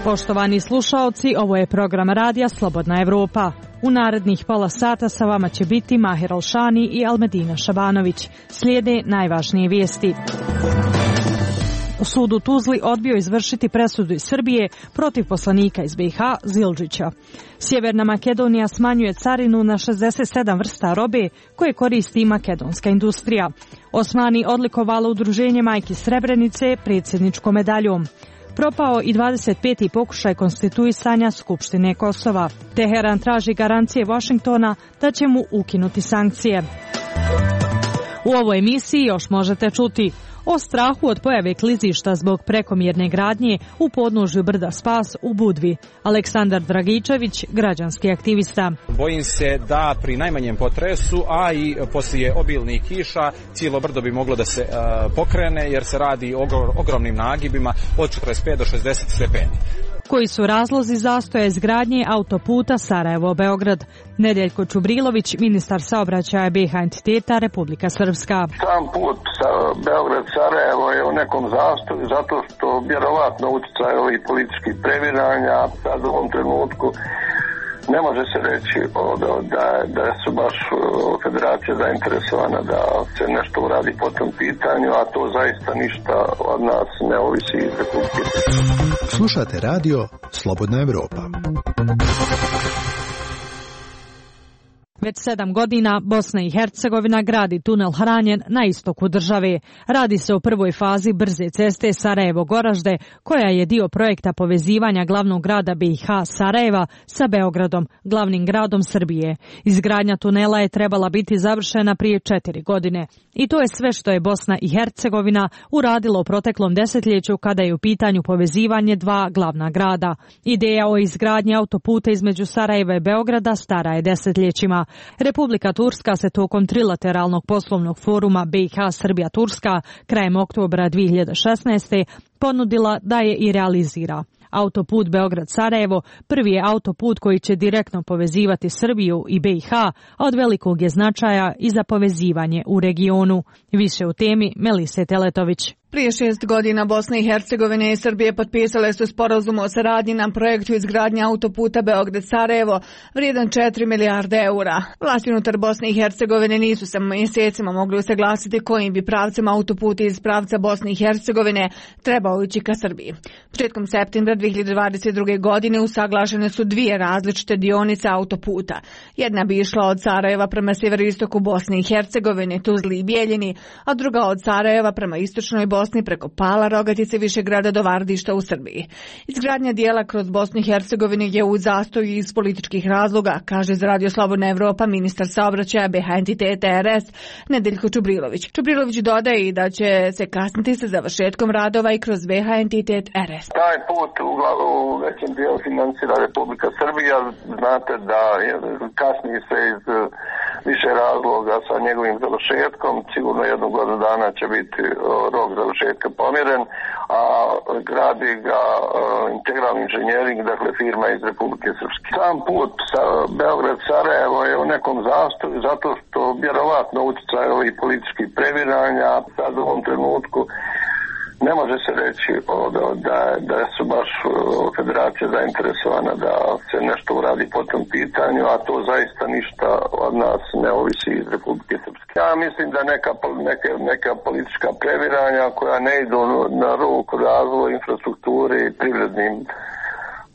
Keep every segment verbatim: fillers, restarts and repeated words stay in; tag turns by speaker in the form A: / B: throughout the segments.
A: Poštovani slušaoci, ovo je program radija Slobodna Evropa. U narednih pola sata sa vama će biti Mahir Alšani i Almedina Šabanović. Slijede najvažnije vijesti. Sud u Tuzli odbio izvršiti presudu iz Srbije protiv poslanika iz B i H Zildžića. Sjeverna Makedonija smanjuje carinu na šezdeset sedam vrsta robe koje koristi makedonska industrija. Osmani odlikovalo udruženje Majki Srebrenice predsjedničkom medaljom. Propao i dvadeset peti pokušaj konstituisanja Skupštine Kosova. Teheran traži garancije Washingtona da će mu ukinuti sankcije. U ovoj emisiji još možete čuti o strahu od pojave klizišta zbog prekomjerne gradnje u podnožju brda Spas u Budvi. Aleksandar Dragičević, građanski aktivista.
B: Bojim se da pri najmanjem potresu, a i poslije obilnih kiša, cijelo brdo bi moglo da se uh, pokrene jer se radi o ogromnim nagibima od četrdeset pet do šezdeset stepeni.
A: Koji su razlozi zastoja izgradnje autoputa Sarajevo-Beograd? Nedeljko Čubrilović, ministar saobraćaja B i H entiteta Republika Srpska.
C: Sam put Beograd-Sarajevo je u nekom zastoju zato što vjerovatno utjecaj ovih političkih previranja sad u ovom trenutku ne može se reći da, da, da su baš federacija zainteresovana da se nešto uradi po tom pitanju, a to zaista ništa od nas ne ovisi iz Republike.
D: Slušate radio Slobodna Evropa.
A: Već sedam godina Bosna i Hercegovina gradi tunel Hranjen na istoku države. Radi se o prvoj fazi brze ceste Sarajevo-Goražde, koja je dio projekta povezivanja glavnog grada B i H Sarajeva sa Beogradom, glavnim gradom Srbije. Izgradnja tunela je trebala biti završena prije četiri godine. I to je sve što je Bosna i Hercegovina uradila u proteklom desetljeću kada je u pitanju povezivanje dva glavna grada. Ideja o izgradnji autoputa između Sarajeva i Beograda stara je desetljećima. Republika Turska se tokom trilateralnog poslovnog foruma B i H Srbija-Turska krajem oktobra dvije hiljade šesnaeste. ponudila da je i realizira. Autoput Beograd-Sarajevo prvi je autoput koji će direktno povezivati Srbiju i B i H, a od velikog je značaja i za povezivanje u regionu. Više u temi Melise Teletović.
E: Prije šest godina Bosna i Hercegovina i Srbije potpisale su sporazum o saradnji na projektu izgradnje autoputa Beograd-Sarajevo vrijedan četiri milijarde eura. Vlasti unutar Bosne i Hercegovine nisu se mjesecima mogli usaglasiti kojim bi pravcem autoputa iz pravca Bosne i Hercegovine trebao ići ka Srbiji. Početkom septembra dvije hiljade dvadeset druge. godine usaglašene su dvije različite dionice autoputa. Jedna bi išla od Sarajeva prema sjeveroistoku Bosne i Hercegovine, Tuzli i Bijeljini, a druga od Sarajeva prema istočnoj Bosni preko Pala, Rogatice, Višegrada do Vardišta u Srbiji. Izgradnja dijela kroz Bosnu i Hercegovinu je u zastoju iz političkih razloga, kaže za Radio Slobodna Evropa ministar saobraćaja B i H entiteta R S Nedeljko Čubrilović. Čubrilović dodaje i da će se kasniti sa završetkom radova i kroz B i H entitet R S.
C: Taj put u, u većem dijelu financira Republika Srbija. Znate da je, kasni se iz više razloga sa njegovim završetkom. Sigurno jednu godinu dana će biti rok završetka pomjeren, a gradi ga integralni inženjering, dakle firma iz Republike Srpske. Sam put sa Beograd-Sarajevo je u nekom zastoju zato što vjerovatno utjecaj ovih političkih previranja sad u ovom trenutku ne može se reći da, da, da su baš federacija zainteresovana da se nešto uradi po tom pitanju, a to zaista ništa od nas ne ovisi iz Republike Srpske. Ja mislim da neka, neka, neka politička previranja koja ne idu na ruku razvoju infrastrukture i privrednim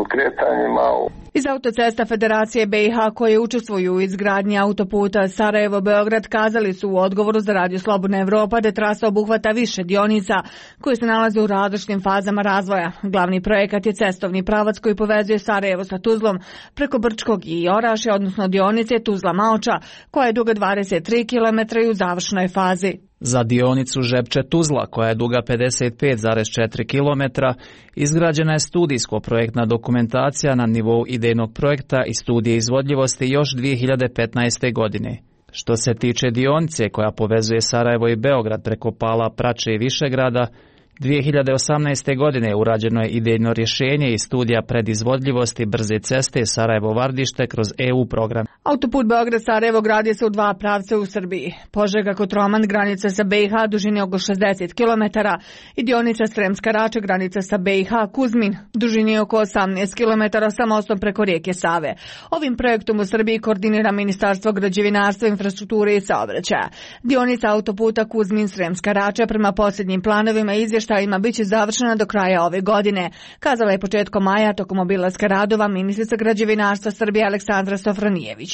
C: kretanjima.
E: Iz autocesta Federacije B i H koje učestvuju u izgradnji autoputa Sarajevo-Beograd kazali su u odgovoru za Radio Slobodna Evropa da trasa obuhvata više dionica koje se nalaze u različitim fazama razvoja. Glavni projekat je cestovni pravac koji povezuje Sarajevo sa Tuzlom preko Brčkog i Oraše, odnosno dionice Tuzla-Maoča, koja je duga dvadeset tri kilometra i u završnoj fazi.
F: Za dionicu Žepče-Tuzla, koja je duga pedeset pet zarez četiri kilometra, izgrađena je studijsko-projektna dokumentacija na nivou idejnog projekta i studije izvodljivosti još dvije hiljade petnaeste. godine. Što se tiče dionice koja povezuje Sarajevo i Beograd preko Pala, Prače i Višegrada, dvije hiljade osamnaeste. godine urađeno je idejno rješenje i studija predizvodljivosti brze ceste Sarajevo-Vardište kroz E U program.
E: Autoput Beograd-Sarajevo gradi se u dva pravca u Srbiji. Požega-Kotroman, granica sa B i H, dužine oko šezdeset kilometara i dionica Sremska Rača, granica sa B i H, Kuzmin, dužine oko osamnaest kilometara sa mostom preko rijeke Save. Ovim projektom u Srbiji koordinira Ministarstvo građevinarstva, infrastrukture i saobraćaja. Dionica autoputa Kuzmin-Sremska Rača prema posljednjim planovima i izvještajima biće završena do kraja ove godine, kazala je početkom maja tokom obilaska radova ministrica građevinarstva Srbije Aleksandra Sofronijević.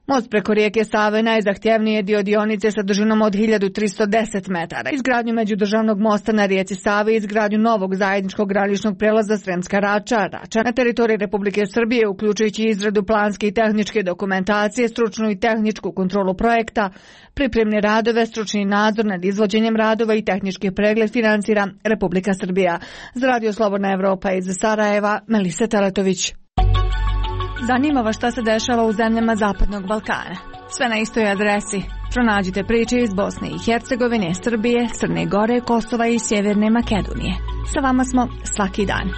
E: Most preko rijeke Save najzahtjevniji je dio dionice sa dužinom od hiljadu tristo deset metara. Izgradnju međudržavnog mosta na rijeci Savi i izgradnju novog zajedničkog graničnog prelaza Sremska Rača, Rača na teritoriji Republike Srbije, uključujući izradu planske i tehničke dokumentacije, stručnu i tehničku kontrolu projekta, pripremne radove, stručni nadzor nad izvođenjem radova i tehnički pregled financira Republika Srbija. Za Radio Slobodna Evropa iz Sarajeva, Melisa Teletović. Zanima vas šta se dešava u zemljama Zapadnog Balkana. Sve na istoj adresi. Pronađite priče iz Bosne i Hercegovine, Srbije, Crne Gore, Kosova i Sjeverne Makedonije. Sa vama smo svaki dan.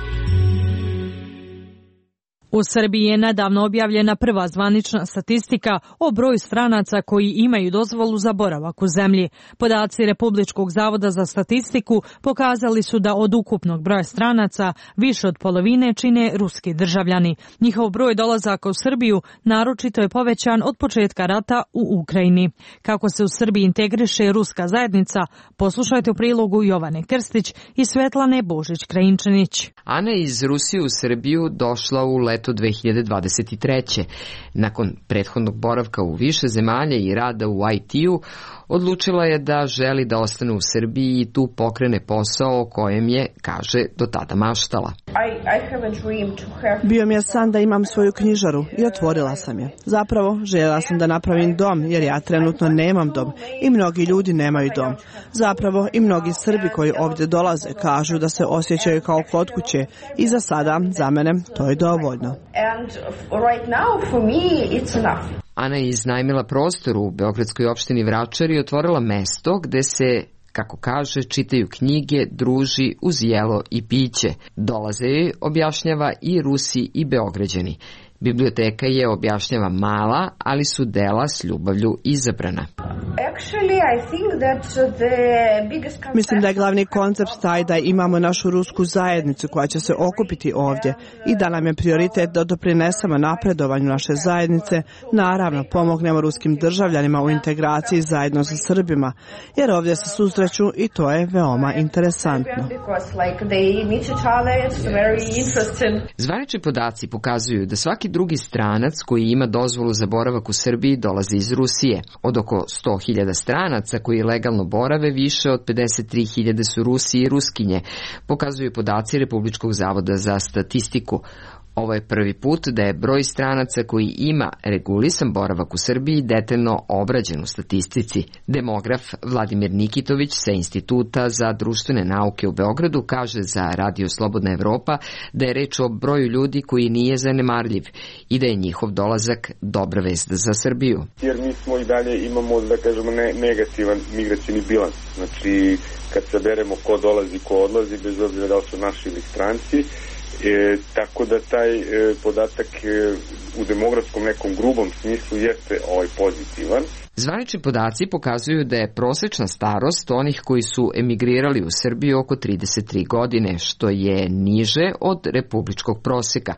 A: U Srbiji je nedavno objavljena prva zvanična statistika o broju stranaca koji imaju dozvolu za boravak u zemlji. Podaci Republičkog zavoda za statistiku pokazali su da od ukupnog broja stranaca više od polovine čine ruski državljani. Njihov broj dolazaka u Srbiju naročito je povećan od početka rata u Ukrajini. Kako se u Srbiji integriše ruska zajednica, poslušajte u prilogu Jovane Krstić i Svetlane Božić-Krajinčanić.
G: Ana iz Rusije u Srbiju došla u leto dve hiljade dvadeset treće. Nakon prethodnog boravka u više zemalja i rada u I T-u, odlučila je da želi da ostane u Srbiji i tu pokrene posao o kojem je, kaže, do tada maštala.
H: Bio mi je san da imam svoju knjižaru i otvorila sam je. Zapravo, željela sam da napravim dom, jer ja trenutno nemam dom i mnogi ljudi nemaju dom. Zapravo, i mnogi Srbi koji ovdje dolaze kažu da se osjećaju kao kod kuće i za sada, za mene, to je dovoljno.
G: Ana je iznajmila prostor u beogradskoj opštini Vračar i otvorila mesto gde se, kako kaže, čitaju knjige, druži uz jelo i piće. Dolaze joj, objašnjava, i Rusi i Beograđani. Biblioteka je, objašnjava, mala, ali su dela s ljubavlju izabrana.
H: Mislim da je glavni koncept taj da imamo našu rusku zajednicu koja će se okupiti ovdje i da nam je prioritet da doprinesemo napredovanju naše zajednice, naravno pomognemo ruskim državljanima u integraciji zajedno sa Srbima, jer ovdje se susreću i to je veoma interesantno.
G: Zvanični podaci pokazuju da svaki drugi stranac koji ima dozvolu za boravak u Srbiji dolazi iz Rusije. Od oko sto hiljada stranaca koji legalno borave, više od pedeset tri hiljade su Rusi i Ruskinje, pokazuju podaci Republičkog zavoda za statistiku. Ovo je prvi put da je broj stranaca koji ima regulisan boravak u Srbiji detaljno obrađen u statistici. Demograf Vladimir Nikitović sa Instituta za društvene nauke u Beogradu kaže za Radio Slobodna Evropa da je reč o broju ljudi koji nije zanemarljiv i da je njihov dolazak dobra vest za Srbiju.
I: Jer mi smo i dalje imamo, da kažemo, ne, negativan migracijni bilans. Znači, kad saberemo ko dolazi, ko odlazi, bez obzira da li su naši ili stranci, E, tako da taj e, podatak e, u demografskom nekom grubom smislu jeste ovaj pozitivan.
G: Zvanični podaci pokazuju da je prosečna starost onih koji su emigrirali u Srbiju oko trideset tri godine, što je niže od republičkog proseka.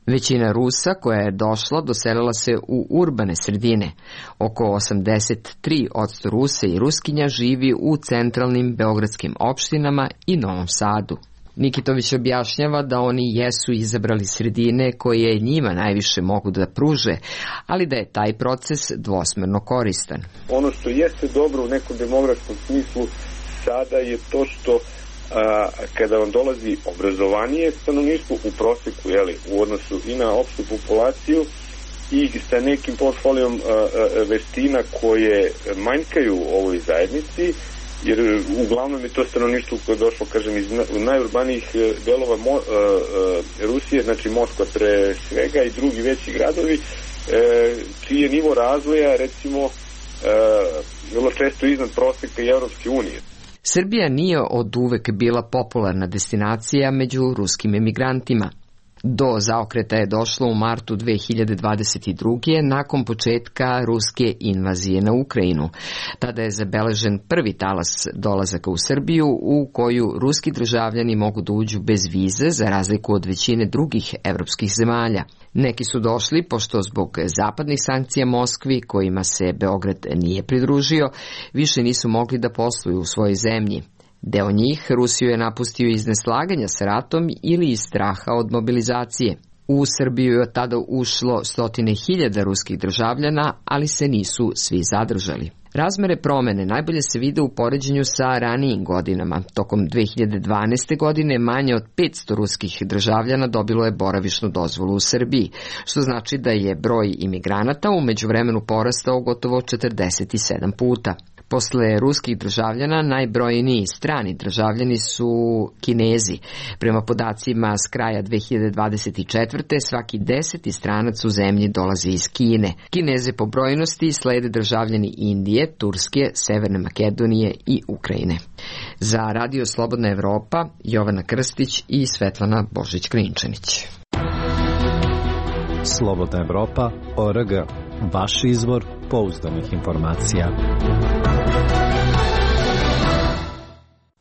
G: Većina Rusa koja je došla doselila se u urbane sredine. Oko osamdeset tri posto Rusa i Ruskinja živi u centralnim beogradskim opštinama i Novom Sadu. Nikitović objašnjava da oni jesu izabrali sredine koje njima najviše mogu da pruže, ali da je taj proces dvosmerno koristan.
I: Ono što jeste dobro u nekom demografskom smislu sada je to što a, kada vam dolazi obrazovanije stanovništvo u proseku, jeli, u odnosu i na opštu populaciju i sa nekim portfolijom a, a, veština koje manjkaju u ovoj zajednici, jer uglavnom je to stanovništvo koje je došlo, kažem, iz najurbanijih delova Mo, uh, uh, Rusije, znači Moskva pre svega i drugi veći gradovi, uh, čiji je nivo razvoja, recimo, uh, vrlo često iznad proseka i Evropske unije.
G: Srbija nije od uvek bila popularna destinacija među ruskim emigrantima. Do zaokreta je došlo u martu dve hiljade dvadeset druge. nakon početka ruske invazije na Ukrajinu. Tada je zabeležen prvi talas dolazaka u Srbiju u koju ruski državljani mogu da uđu bez vize za razliku od većine drugih evropskih zemalja. Neki su došli pošto zbog zapadnih sankcija Moskvi, kojima se Beograd nije pridružio, više nisu mogli da posluju u svojoj zemlji. Deo njih Rusiju je napustio iz neslaganja sa ratom ili iz straha od mobilizacije. U Srbiju je od tada ušlo stotine hiljada ruskih državljana, ali se nisu svi zadržali. Razmere promene najbolje se vide u poređenju sa ranijim godinama. Tokom dve hiljade dvanaeste. godine manje od petsto ruskih državljana dobilo je boravišnu dozvolu u Srbiji, što znači da je broj imigranata u međuvremenu porastao gotovo četrdeset sedam puta. Posle ruskih državljana najbrojniji strani državljani su Kinezi. Prema podacima s kraja dve hiljade dvadeset četvrte. svaki deseti stranac u zemlji dolazi iz Kine. Kineze po brojnosti slede državljani Indije, Turske, Severne Makedonije i Ukrajine. Za Radio Slobodna Evropa, Jovana Krstić i Svetlana Božić-Krinčanić.
J: Slobodna Evropa, O R G. Vaš izvor pouzdanih informacija.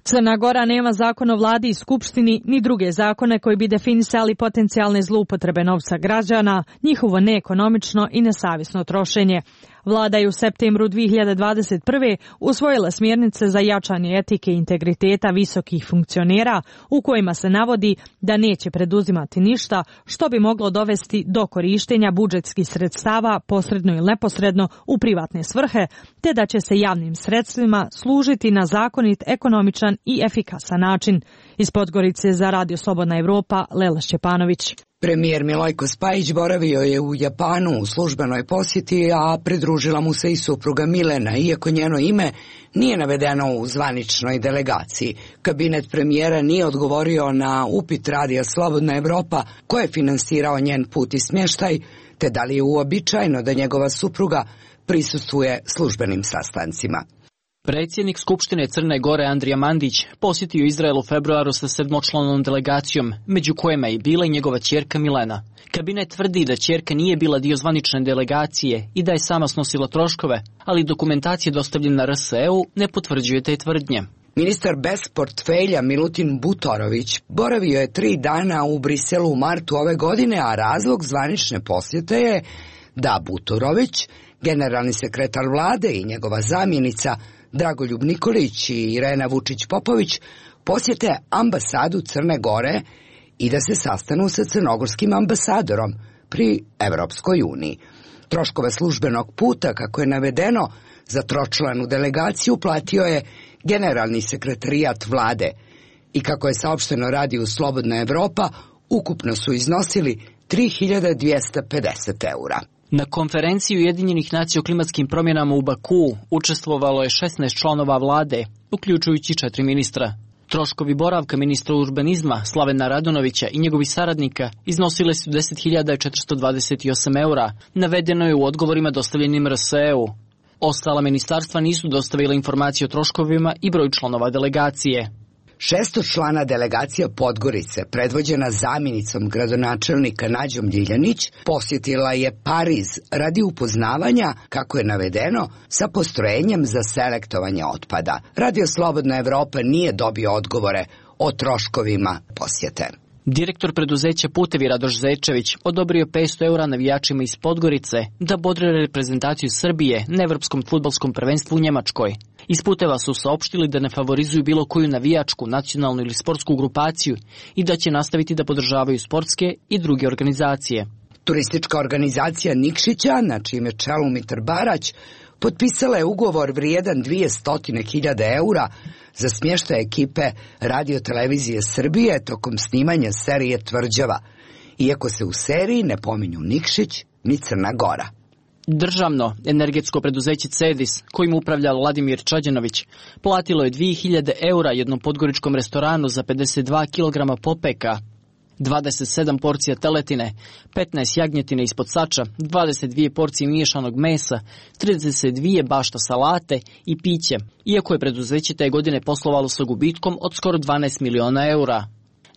A: Crna Gora nema zakon o vladi i skupštini ni druge zakone koji bi definisali potencijalne zloupotrebe novca građana, njihovo neekonomično i nesavjesno trošenje. Vlada je u septembru dve hiljade dvadeset prve. usvojila smjernice za jačanje etike i integriteta visokih funkcionera u kojima se navodi da neće preduzimati ništa što bi moglo dovesti do korištenja budžetskih sredstava posredno ili neposredno u privatne svrhe, te da će se javnim sredstvima služiti na zakonit, ekonomičan i efikasan način. Iz Podgorice za Radio Slobodna Evropa, Lela Šćepanović.
K: Premijer Milojko Spajić boravio je u Japanu u službenoj posjeti, a pridružila mu se i supruga Milena, iako njeno ime nije navedeno u zvaničnoj delegaciji. Kabinet premijera nije odgovorio na upit Radija Slobodna Evropa ko je finansirao njen put i smještaj, te da li je uobičajeno da njegova supruga prisustvuje službenim sastancima.
L: Predsjednik Skupštine Crne Gore Andrija Mandić posjetio Izrael u februaru sa sedmočlanom delegacijom, među kojima je bila i njegova ćerka Milena. Kabinet tvrdi da ćerka nije bila dio zvanične delegacije i da je sama snosila troškove, ali dokumentacija dostavljena R S E-u ne potvrđuje te tvrdnje.
K: Ministar bez portfelja Milutin Butorović boravio je tri dana u Briselu u martu ove godine, a razlog zvanične posjete je da Butorović, generalni sekretar vlade i njegova zamjenica Dragoljub Nikolić i Irena Vučić-Popović posjete ambasadu Crne Gore i da se sastanu sa crnogorskim ambasadorom pri Evropskoj uniji. Troškove službenog puta, kako je navedeno, za tročlanu delegaciju platio je generalni sekretarijat vlade i kako je saopšteno Radiju Slobodna Evropa, ukupno su iznosili tri hiljade dvjesto pedeset eura.
L: Na konferenciji Ujedinjenih nacija o klimatskim promjenama u Bakuu učestvovalo je šesnaest članova vlade, uključujući četiri ministra. Troškovi boravka ministra urbanizma Slavena Radonovića i njegovih saradnika iznosile su deset hiljada četiristo dvadeset osam eura, navedeno je u odgovorima dostavljenim R S E-u. Ostala ministarstva nisu dostavila informacije o troškovima i broju članova delegacije.
K: Šestočlana delegacija Podgorice, predvođena zamjenicom gradonačelnika Nađom Ljiljanić, posjetila je Pariz radi upoznavanja, kako je navedeno, sa postrojenjem za selektovanje otpada. Radio Slobodna Evropa nije dobio odgovore o troškovima posjete.
L: Direktor preduzeća Putevi Radoš Zečević odobrio petsto eura navijačima iz Podgorice da bodre reprezentaciju Srbije na evropskom fudbalskom prvenstvu u Njemačkoj. Iz Puteva su saopštili da ne favorizuju bilo koju navijačku, nacionalnu ili sportsku grupaciju i da će nastaviti da podržavaju sportske i druge organizacije.
K: Turistička organizacija Nikšića, na čijem je čelu Mitar Barać, potpisala je ugovor vrijedan dvjesto hiljada eura za smještaj ekipe Radio-televizije Srbije tokom snimanja serije Tvrđava, iako se u seriji ne pominju Nikšić ni Crna Gora.
L: Državno energetsko preduzeće Cedis, kojim upravlja Vladimir Čađanović, platilo je dvije hiljade eura jednom podgoričkom restoranu za pedeset dva kilograma popeka, dvadeset sedam porcija teletine, petnaest jagnjetine ispod sača, dvadeset dvije porcije miješanog mesa, trideset dvije bašta salate i piće, iako je preduzeće te godine poslovalo sa gubitkom od skoro dvanaest miliona eura.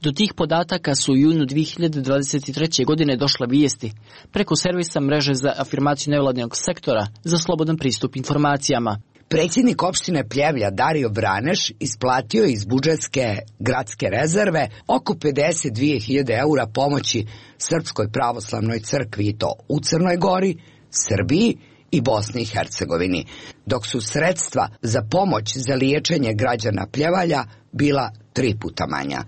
L: Do tih podataka su u junu dvije hiljade dvadeset treće. godine došle vijesti preko servisa mreže za afirmaciju nevladinog sektora za slobodan pristup informacijama.
K: Predsjednik opštine Pljevlja Dario Vraneš isplatio iz budžetske gradske rezerve oko pedeset dvije hiljade eura pomoći Srpskoj pravoslavnoj crkvi i to u Crnoj Gori, Srbiji i Bosni i Hercegovini, dok su sredstva za pomoć za liječenje građana Pljevalja bila tri puta manja.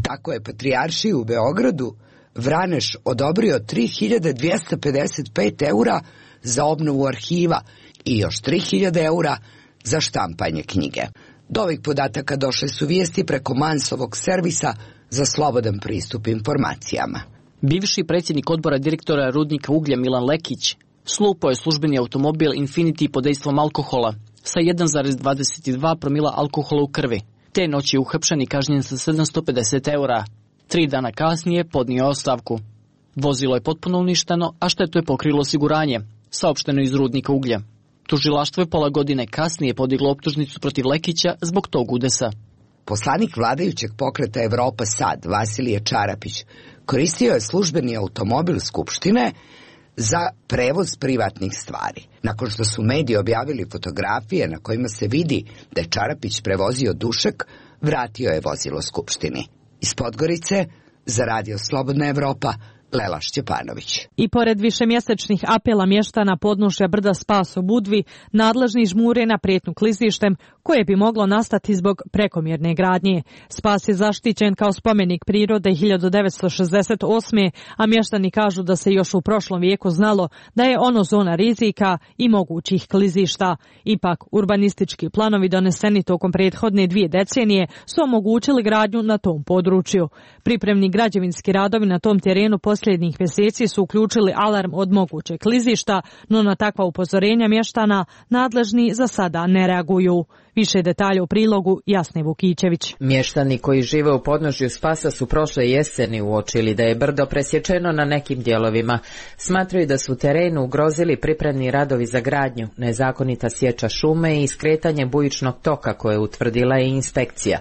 K: Tako je Patrijaršiji u Beogradu Vraneš odobrio tri hiljade dvjesto pedeset pet eura za obnovu arhiva i još tri hiljade eura za štampanje knjige. Do ovih podataka došle su vijesti preko Mansovog servisa za slobodan pristup informacijama.
L: Bivši predsjednik odbora direktora rudnika uglja Milan Lekić slupao je službeni automobil Infiniti pod dejstvom alkohola sa jedan zarez dvadeset dva promila alkohola u krvi. Te noći je uhapšen i kažnjen sa sedamsto pedeset eura. Tri dana kasnije podnio ostavku. Vozilo je potpuno uništeno, a štetu je pokrilo osiguranje, saopšteno iz rudnika uglja. Tužilaštvo je pola godine kasnije podiglo optužnicu protiv Lekića zbog tog udesa.
K: Poslanik vladajućeg pokreta Evropa Sad, Vasilije Čarapić, koristio je službeni automobil Skupštine za prevoz privatnih stvari. Nakon što su mediji objavili fotografije na kojima se vidi da je Čarapić prevozio dušek, vratio je vozilo Skupštini. Iz Podgorice, za Radio Slobodna Evropa, Lela Šćepanović.
A: I pored višemjesečnih apela mještana podnožja brda Spas u Budvi, nadležni žmure na prijetnju klizištem koje bi moglo nastati zbog prekomjerne gradnje. Spas je zaštićen kao spomenik prirode hiljadu devetsto šezdeset osme. a mještani kažu da se još u prošlom vijeku znalo da je ono zona rizika i mogućih klizišta. Ipak, urbanistički planovi doneseni tokom prethodne dvije decenije su omogućili gradnju na tom području. Pripremni građevinski radovi na tom terenu posljednjih mjeseci su uključili alarm od mogućeg klizišta, no na takva upozorenja mještana nadležni za sada ne reaguju. Više detalja u prilogu Jasne Vukićević.
M: Mještani koji žive u podnožju Spasa su prošle jeseni uočili da je brdo presječeno na nekim dijelovima. Smatraju da su terenu ugrozili pripremni radovi za gradnju, nezakonita sječa šume i skretanje bujičnog toka koje utvrdila je inspekcija.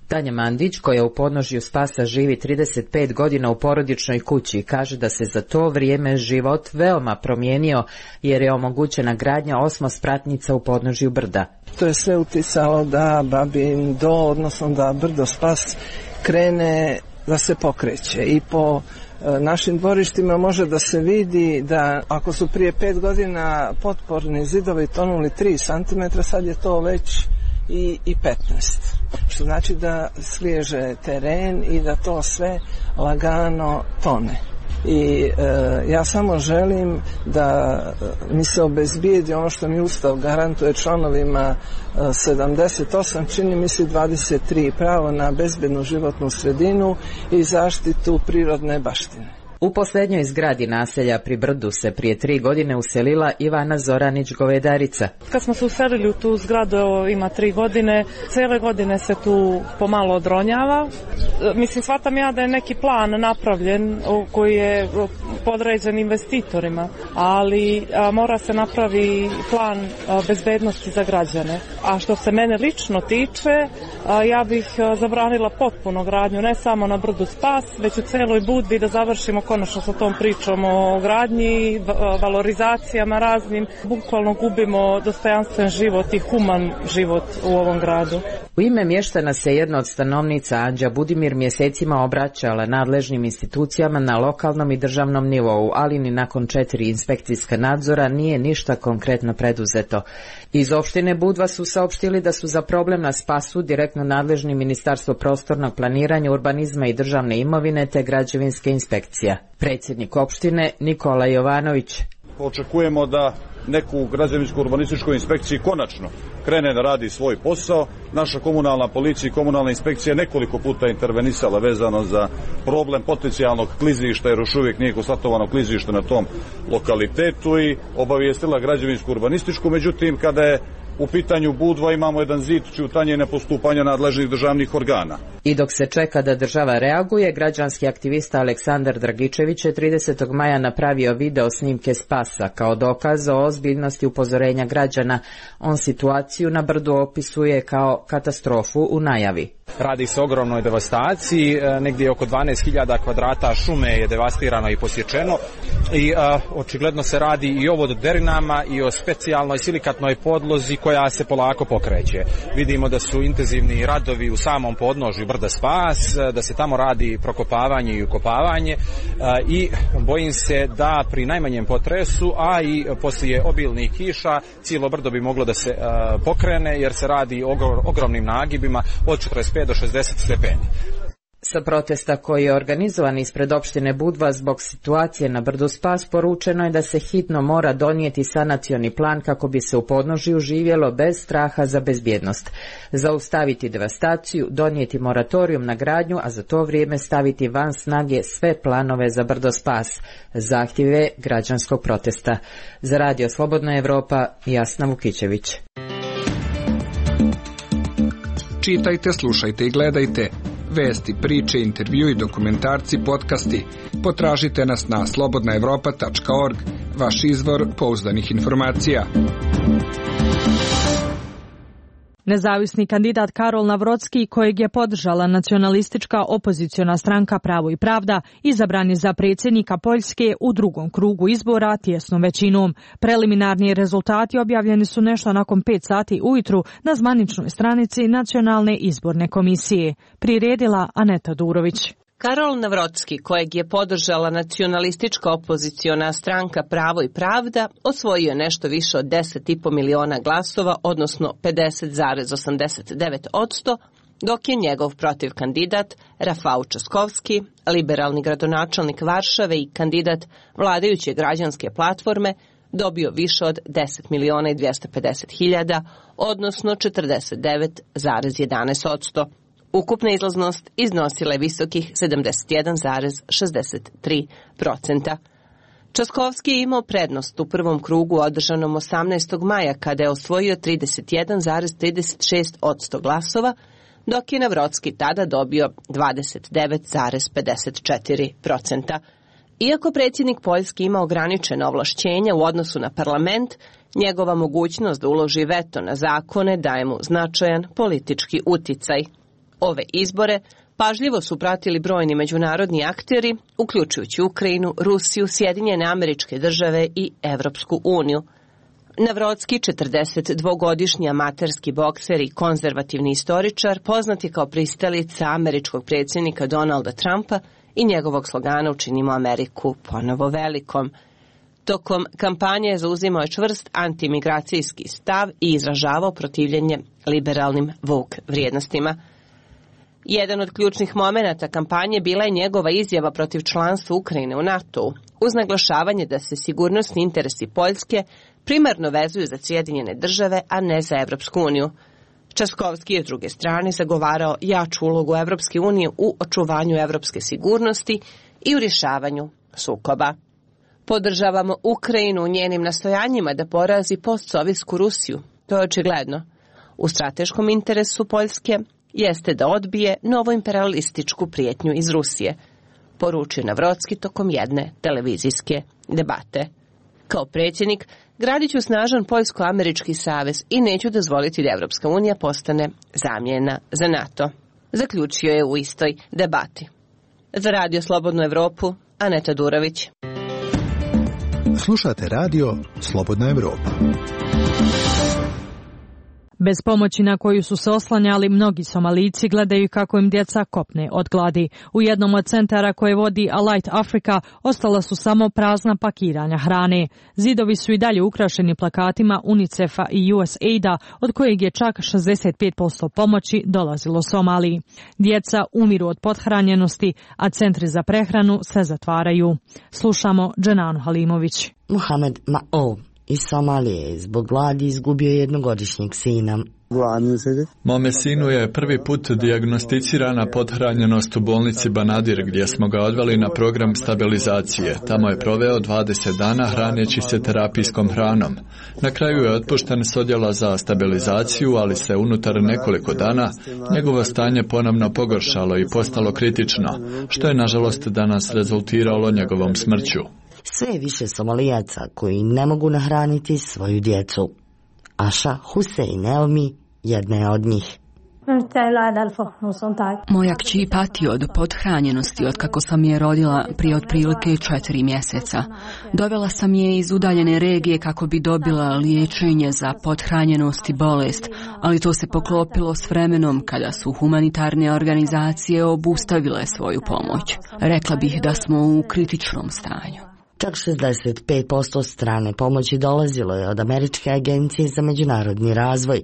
M: Tanja Mandić, koja u podnožju Spasa živi trideset pet godina u porodičnoj kući, kaže da se za to vrijeme život veoma promijenio jer je omogućena gradnja osmospratnica u podnožju brda.
N: To je sve uticalo da Babin do, odnosno da brdo Spas krene da se pokreće i po e, našim dvorištima može da se vidi da ako su prije pet godina potporni zidovi tonuli tri centimetra, sad je to već i, i petnaest. Što znači da sliježe teren i da to sve lagano tone. I e, ja samo želim da mi se obezbijedi ono što mi Ustav garantuje članovima e, sedamdeset osam, čini mi se dvadeset tri, pravo na bezbednu životnu sredinu i zaštitu prirodne baštine.
M: U posljednjoj zgradi naselja pri brdu se prije tri godine uselila Ivana Zoranić-Govedarica.
O: Kad smo se uselili u tu zgradu, evo, ima tri godine, cijele godine se tu pomalo odronjava. Mislim, shvatam ja da je neki plan napravljen koji je podređen investitorima, ali a, mora se napravi plan a, bezbednosti za građane. A što se mene lično tiče, a, ja bih a, zabranila potpuno gradnju, ne samo na brdu Spas, već u celoj Budvi, da završimo konačno sa tom pričom o gradnji, valorizacijama raznim. Bukvalno gubimo dostojanstven život i human život u ovom gradu.
M: U ime mještana se jedna od stanovnica, Anđa Budimir, mjesecima obraćala nadležnim institucijama na lokalnom i državnom nivou, ali ni nakon četiri inspekcijska nadzora nije ništa konkretno preduzeto. Iz opštine Budva su saopštili da su za problem na Spasu direktno nadležni Ministarstvo prostornog planiranja, urbanizma i državne imovine te građevinske inspekcija. Predsjednik opštine Nikola Jovanović.
P: Očekujemo da neku građevinsku urbanističku inspekciju konačno krene da radi svoj posao. Naša komunalna policija i komunalna inspekcija nekoliko puta intervenisala vezano za problem potencijalnog klizišta, jer još uvijek nije konstatovano klizište na tom lokalitetu, i obavijestila građevinsku urbanističku. Međutim, kada je u pitanju Budva, imamo jedan zid ćutanja i nepostupanja nadležnih državnih organa.
M: I dok se čeka da država reaguje, građanski aktivista Aleksandar Dragičević je tridesetog maja napravio video snimke Spasa kao dokaz o ozbiljnosti upozorenja građana. On situaciju na brdu opisuje kao katastrofu u najavi.
B: Radi se o ogromnoj devastaciji, negdje oko dvanaest hiljada kvadrata šume je devastirano i posječeno i a, očigledno se radi i o vododerinama i o specijalnoj silikatnoj podlozi koja se polako pokreće. Vidimo da su intenzivni radovi u samom podnožju brda Spas, da se tamo radi prokopavanje i ukopavanje a, i bojim se da pri najmanjem potresu, a i poslije obilnih kiša, cijelo brdo bi moglo da se a, pokrene jer se radi o ogromnim nagibima od četrdeset pet do šezdeset stepeni.
M: Sa protesta koji je organizovan ispred opštine Budva zbog situacije na brdu Spas poručeno je da se hitno mora donijeti sanacioni plan kako bi se u podnožju živjelo bez straha za bezbjednost. Zaustaviti devastaciju, donijeti moratorijum na gradnju, a za to vrijeme staviti van snage sve planove za brdo Spas. Zahtjeve građanskog protesta. Za Radio Slobodna Evropa, Jasna Vukićević.
Q: Čitajte, slušajte i gledajte. Vesti, priče, intervju i dokumentarci, podcasti. Potražite nas na slobodna evropa tačka org, vaš izvor pouzdanih informacija.
A: Nezavisni kandidat Karol Navrocki, kojeg je podržala nacionalistička opoziciona stranka Pravo i pravda, izabran je za predsjednika Poljske u drugom krugu izbora tjesnom većinom. Preliminarni rezultati objavljeni su nešto nakon pet sati ujutru na zvaničnoj stranici Nacionalne izborne komisije. Priredila Aneta Durović.
R: Karol Navrocki, kojeg je podržala nacionalistička opoziciona stranka Pravo i pravda, osvojio je nešto više od deset i po miliona glasova, odnosno pedeset zarez osamdeset devet posto, dok je njegov protiv kandidat Rafał Trzaskowski, liberalni gradonačelnik Varšave i kandidat vladajuće građanske platforme, dobio više od deset miliona i dvjesto pedeset hiljada, odnosno četrdeset devet zarez jedanaest posto. Ukupna izlaznost iznosila je visokih sedamdeset jedan zarez šezdeset tri posto. Trzaskowski je imao prednost u prvom krugu održanom osamnaestog maja kada je osvojio trideset jedan zarez trideset šest posto glasova, dok je Navrocki tada dobio dvadeset devet zarez pedeset četiri posto. Iako predsjednik Poljske ima ograničena ovlašćenja u odnosu na parlament, njegova mogućnost da uloži veto na zakone daje mu značajan politički uticaj. Ove izbore pažljivo su pratili brojni međunarodni akteri, uključujući Ukrajinu, Rusiju, Sjedinjene Američke Države i Evropsku uniju. Navrocki, četrdesetdvogodišnji amaterski bokser i konzervativni istoričar, poznat je kao pristalica američkog predsjednika Donalda Trumpa i njegovog slogana "Učinimo Ameriku ponovo velikom". Tokom kampanje zauzimao je čvrst antimigracijski stav i izražavao protivljenje liberalnim woke vrijednostima. Jedan od ključnih momenata kampanje bila je njegova izjava protiv članstva Ukrajine u NATO-u, uz naglašavanje da se sigurnosni interesi Poljske primarno vezuju za Sjedinjene države, a ne za Evropsku uniju. Trzaskowski je s druge strane zagovarao jaču ulogu Evropske unije u očuvanju evropske sigurnosti i u rješavanju sukoba. Podržavamo Ukrajinu u njenim nastojanjima da porazi postsovjetsku Rusiju, to je očigledno. U strateškom interesu Poljske jeste da odbije novoimperialističku prijetnju iz Rusije, poručio Navrocki tokom jedne televizijske debate. Kao predsjednik, gradit ću snažan poljsko-američki savez i neću dozvoliti da Evropska unija postane zamjena za NATO, zaključio je u istoj debati. Za Radio Slobodnu Evropu, Aneta Durović.
D: Slušate Radio Slobodna Evropa.
A: Bez pomoći na koju su se oslanjali, mnogi Somalijci gledaju kako im djeca kopne od gladi. U jednom od centara koje vodi Alight Africa ostala su samo prazna pakiranja hrane. Zidovi su i dalje ukrašeni plakatima UNICEF-a i U S A I D-a, od kojeg je čak šezdeset pet posto pomoći dolazilo Somaliji. Djeca umiru od pothranjenosti, a centri za prehranu se zatvaraju. Slušamo Dženanu Halimović.
S: Mohamed Ma'o iz Somalije zbog gladi izgubio jednogodišnjeg sina.
T: Mome sinu je prvi put dijagnosticirana pothranjenost u bolnici Banadir, gdje smo ga odveli na program stabilizacije. Tamo je proveo dvadeset dana hraneći se terapijskom hranom. Na kraju je otpušten s odjela za stabilizaciju, ali se unutar nekoliko dana njegovo stanje ponovno pogoršalo i postalo kritično, što je nažalost danas rezultiralo njegovom smrću.
S: Sve više Somalijaca koji ne mogu nahraniti svoju djecu. Aša Hussein Elmi jedna je od njih.
U: Moja kći pati od pothranjenosti od kako sam je rodila prije otprilike četiri mjeseca. Dovela sam je iz udaljene regije kako bi dobila liječenje za pothranjenost i bolest, ali to se poklopilo s vremenom kada su humanitarne organizacije obustavile svoju pomoć. Rekla bih da smo u kritičnom stanju.
S: Čak šezdeset pet posto strane pomoći dolazilo je od Američke agencije za međunarodni razvoj.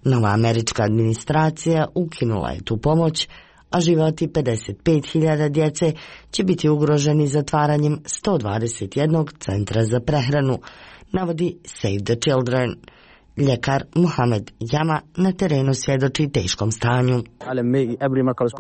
S: Nova američka administracija ukinula je tu pomoć, a životi pedeset pet hiljada djece će biti ugroženi zatvaranjem sto dvadeset jednog centra za prehranu, navodi Save the Children. Ljekar Mohamed Jama na terenu svjedoči teškom stanju.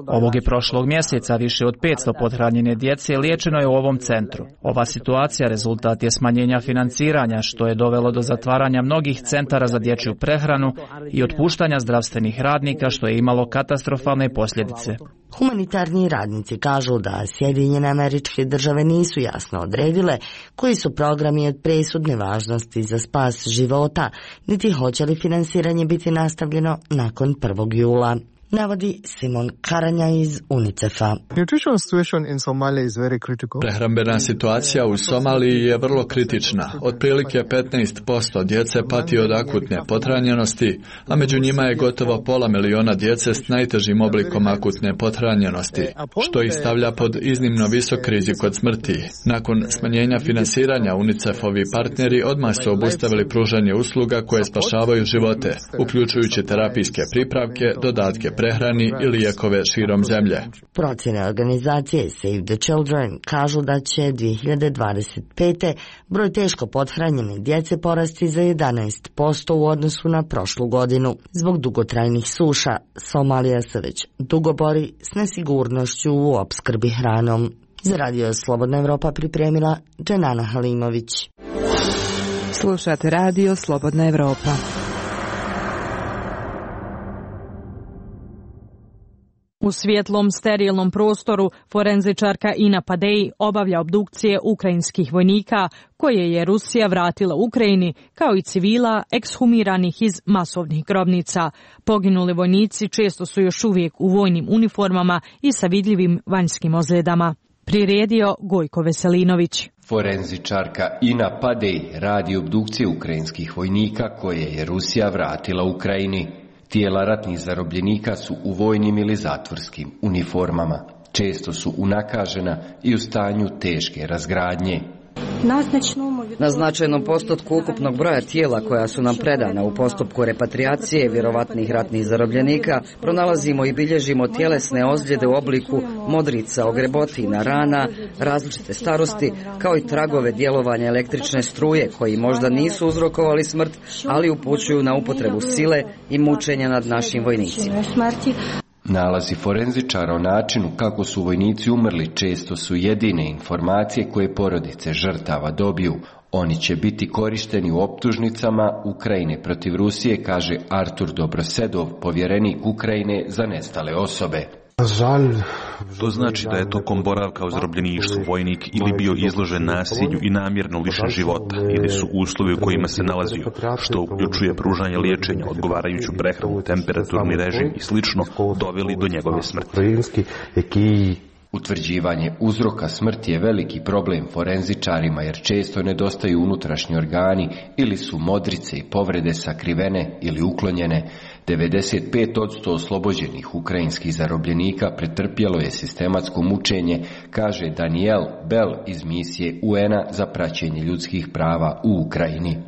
F: Ovog je prošlog mjeseca više od petsto pothranjene djece liječeno je u ovom centru. Ova situacija rezultat je smanjenja financiranja, što je dovelo do zatvaranja mnogih centara za dječju prehranu i otpuštanja zdravstvenih radnika, što je imalo katastrofalne posljedice.
S: Humanitarni radnici kažu da Sjedinjene Američke Države nisu jasno odredile koji su programi od presudne važnosti za spas života, niti hoće li finansiranje biti nastavljeno nakon prvog jula. Navodi Simon Karanja iz UNICEF-a.
T: Prehrambena situacija u Somaliji je vrlo kritična. Otprilike petnaest posto djece pati od akutne pothranjenosti, a među njima je gotovo pola miliona djece s najtežim oblikom akutne pothranjenosti, što ih stavlja pod iznimno visok rizik od smrti. Nakon smanjenja finansiranja, UNICEF-ovi partneri odmah su obustavili pružanje usluga koje spašavaju živote, uključujući terapijske pripravke, dodatke prehrani i lijekove širom zemlje.
S: Procjene organizacije Save the Children kažu da će dvije hiljade dvadeset pete. broj teško pothranjene djece porasti za jedanaest posto u odnosu na prošlu godinu. Zbog dugotrajnih suša, Somalija se već dugo bori s nesigurnošću u opskrbi hranom. Za Radio Slobodna Evropa pripremila Dženana Halimović.
A: Slušate Radio Slobodna Evropa. U svjetlom sterilnom prostoru forenzičarka Ina Padej obavlja obdukcije ukrajinskih vojnika koje je Rusija vratila Ukrajini, kao i civila ekshumiranih iz masovnih grobnica. Poginuli vojnici često su još uvijek u vojnim uniformama i sa vidljivim vanjskim ozljedama. Priredio Gojko Veselinović.
V: Forenzičarka Ina Padej radi obdukcije ukrajinskih vojnika koje je Rusija vratila Ukrajini. Tijela ratnih zarobljenika su u vojnim ili zatvorskim uniformama. Često su unakažena i u stanju teške razgradnje.
W: Na značajnom postotku ukupnog broja tijela koja su nam predana u postupku repatriacije vjerovatnih ratnih zarobljenika pronalazimo i bilježimo tjelesne ozljede u obliku modrica, ogrebotina, rana, različite starosti, kao i tragove djelovanja električne struje koji možda nisu uzrokovali smrt, ali upućuju na upotrebu sile i mučenja nad našim vojnicima.
V: Nalazi forenzičara o načinu kako su vojnici umrli često su jedine informacije koje porodice žrtava dobiju. Oni će biti korišteni u optužnicama Ukrajine protiv Rusije, kaže Artur Dobrosedov, povjerenik Ukrajine za nestale osobe.
X: To znači da je tokom boravka u zarobljeništvu vojnik ili bio izložen nasilju i namjerno lišen života, ili su uslovi u kojima se nalazio, što uključuje pružanje liječenja, odgovarajuću prehranu, temperaturni režim i slično, doveli do njegove smrti.
V: Utvrđivanje uzroka smrti je veliki problem forenzičarima jer često nedostaju unutrašnji organi ili su modrice i povrede sakrivene ili uklonjene. devedeset pet posto oslobođenih ukrajinskih zarobljenika pretrpjelo je sistematsko mučenje, kaže Daniel Bell iz misije U N-a za praćenje ljudskih prava u Ukrajini.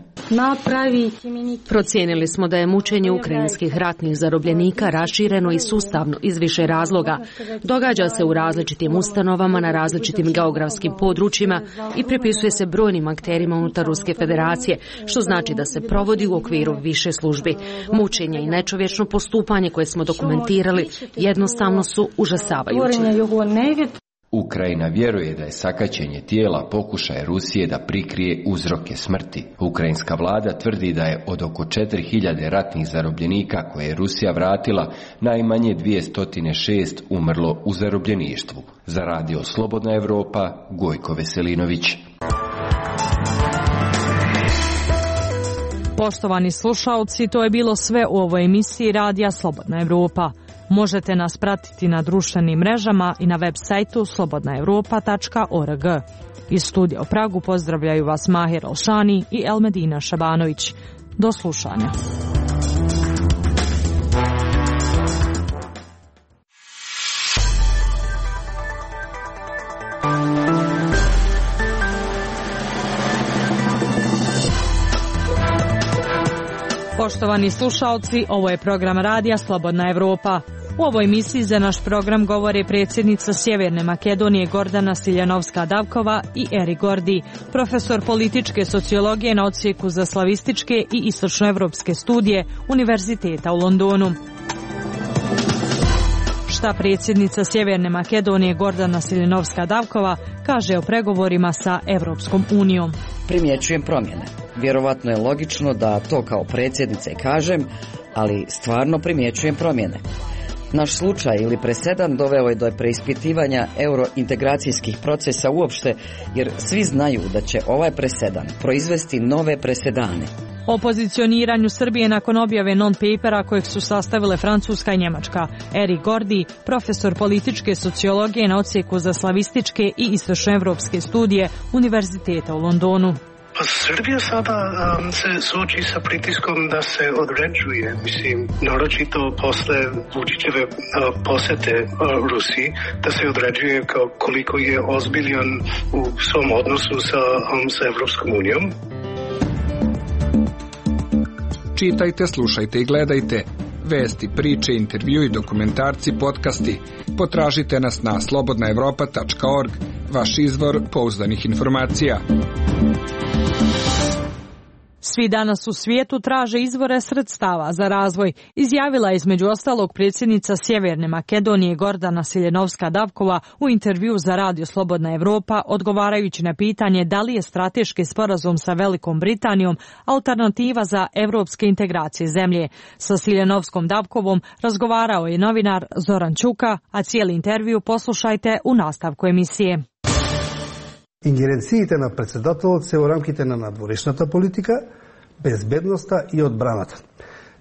Y: Procijenili smo da je mučenje ukrajinskih ratnih zarobljenika rašireno i sustavno iz više razloga. Događa se u različitim ustanovama na različitim geografskim područjima i pripisuje se brojnim akterima unutar Ruske federacije, što znači da se provodi u okviru više službi. Mučenje i nečovječno postupanje koje smo dokumentirali jednostavno su užasavajući.
V: Ukrajina vjeruje da je sakaćenje tijela pokušaj Rusije da prikrije uzroke smrti. Ukrajinska vlada tvrdi da je od oko četiri hiljade ratnih zarobljenika koje je Rusija vratila, najmanje dvjesto šest umrlo u zarobljeništvu. Za Radio Slobodna Evropa, Gojko Veselinović.
A: Poštovani slušalci, to je bilo sve u ovoj emisiji Radija Slobodna Evropa. Možete nas pratiti na društvenim mrežama i na web sajtu slobodna evropa tačka org. Iz studija u Pragu pozdravljaju vas Mahir Alšani i Elmedina Šabanović. Do slušanja. Poštovani slušalci, ovo je program Radija Slobodna Evropa. U ovoj emisiji za naš program govore predsjednica Sjeverne Makedonije Gordana Siljanovska-Davkova i Eri Gordi, profesor političke sociologije na odsjeku za slavističke i istočnoevropske studije Univerziteta u Londonu. Šta predsjednica Sjeverne Makedonije Gordana Siljanovska-Davkova kaže o pregovorima sa Evropskom unijom?
W: Primjećujem promjene. Vjerovatno je logično da to kao predsjednica i kažem, ali stvarno primjećujem promjene. Naš slučaj ili presedan doveo je do preispitivanja eurointegracijskih procesa uopšte, jer svi znaju da će ovaj presedan proizvesti nove presedane.
A: O pozicioniranju Srbije nakon objave non-papera kojeg su sastavile Francuska i Njemačka. Eri Gordi, profesor političke sociologije na odsjeku za slavističke i istočnoevropske studije Univerziteta u Londonu.
C: Pa Srbija sada um, se suoči sa pritiskom da se određuje, mislim, naročito posle Vučićeve uh, posete uh, Rusiji, da se određuje kao koliko je ozbiljan u svom odnosu sa, um, sa Evropskom unijom.
Q: Čitajte, slušajte i gledajte vesti, priče, intervju i dokumentarci, podcasti. Potražite nas na slobodna evropa tačka org, vaš izvor pouzdanih informacija.
A: Svi danas u svijetu traže izvore sredstava za razvoj, izjavila je između ostalog predsjednica Sjeverne Makedonije Gordana Siljanovska-Davkova u intervju za Radio Slobodna Evropa, odgovarajući na pitanje da li je strateški sporazum sa Velikom Britanijom alternativa za evropske integracije zemlje. Sa Siljanovskom-Davkovom razgovarao je novinar Zoran Čuka, a cijeli intervju poslušajte u nastavku emisije.
E: Ингеренциите на председателот се во рамките на надворешната политика, безбедноста и одбраната.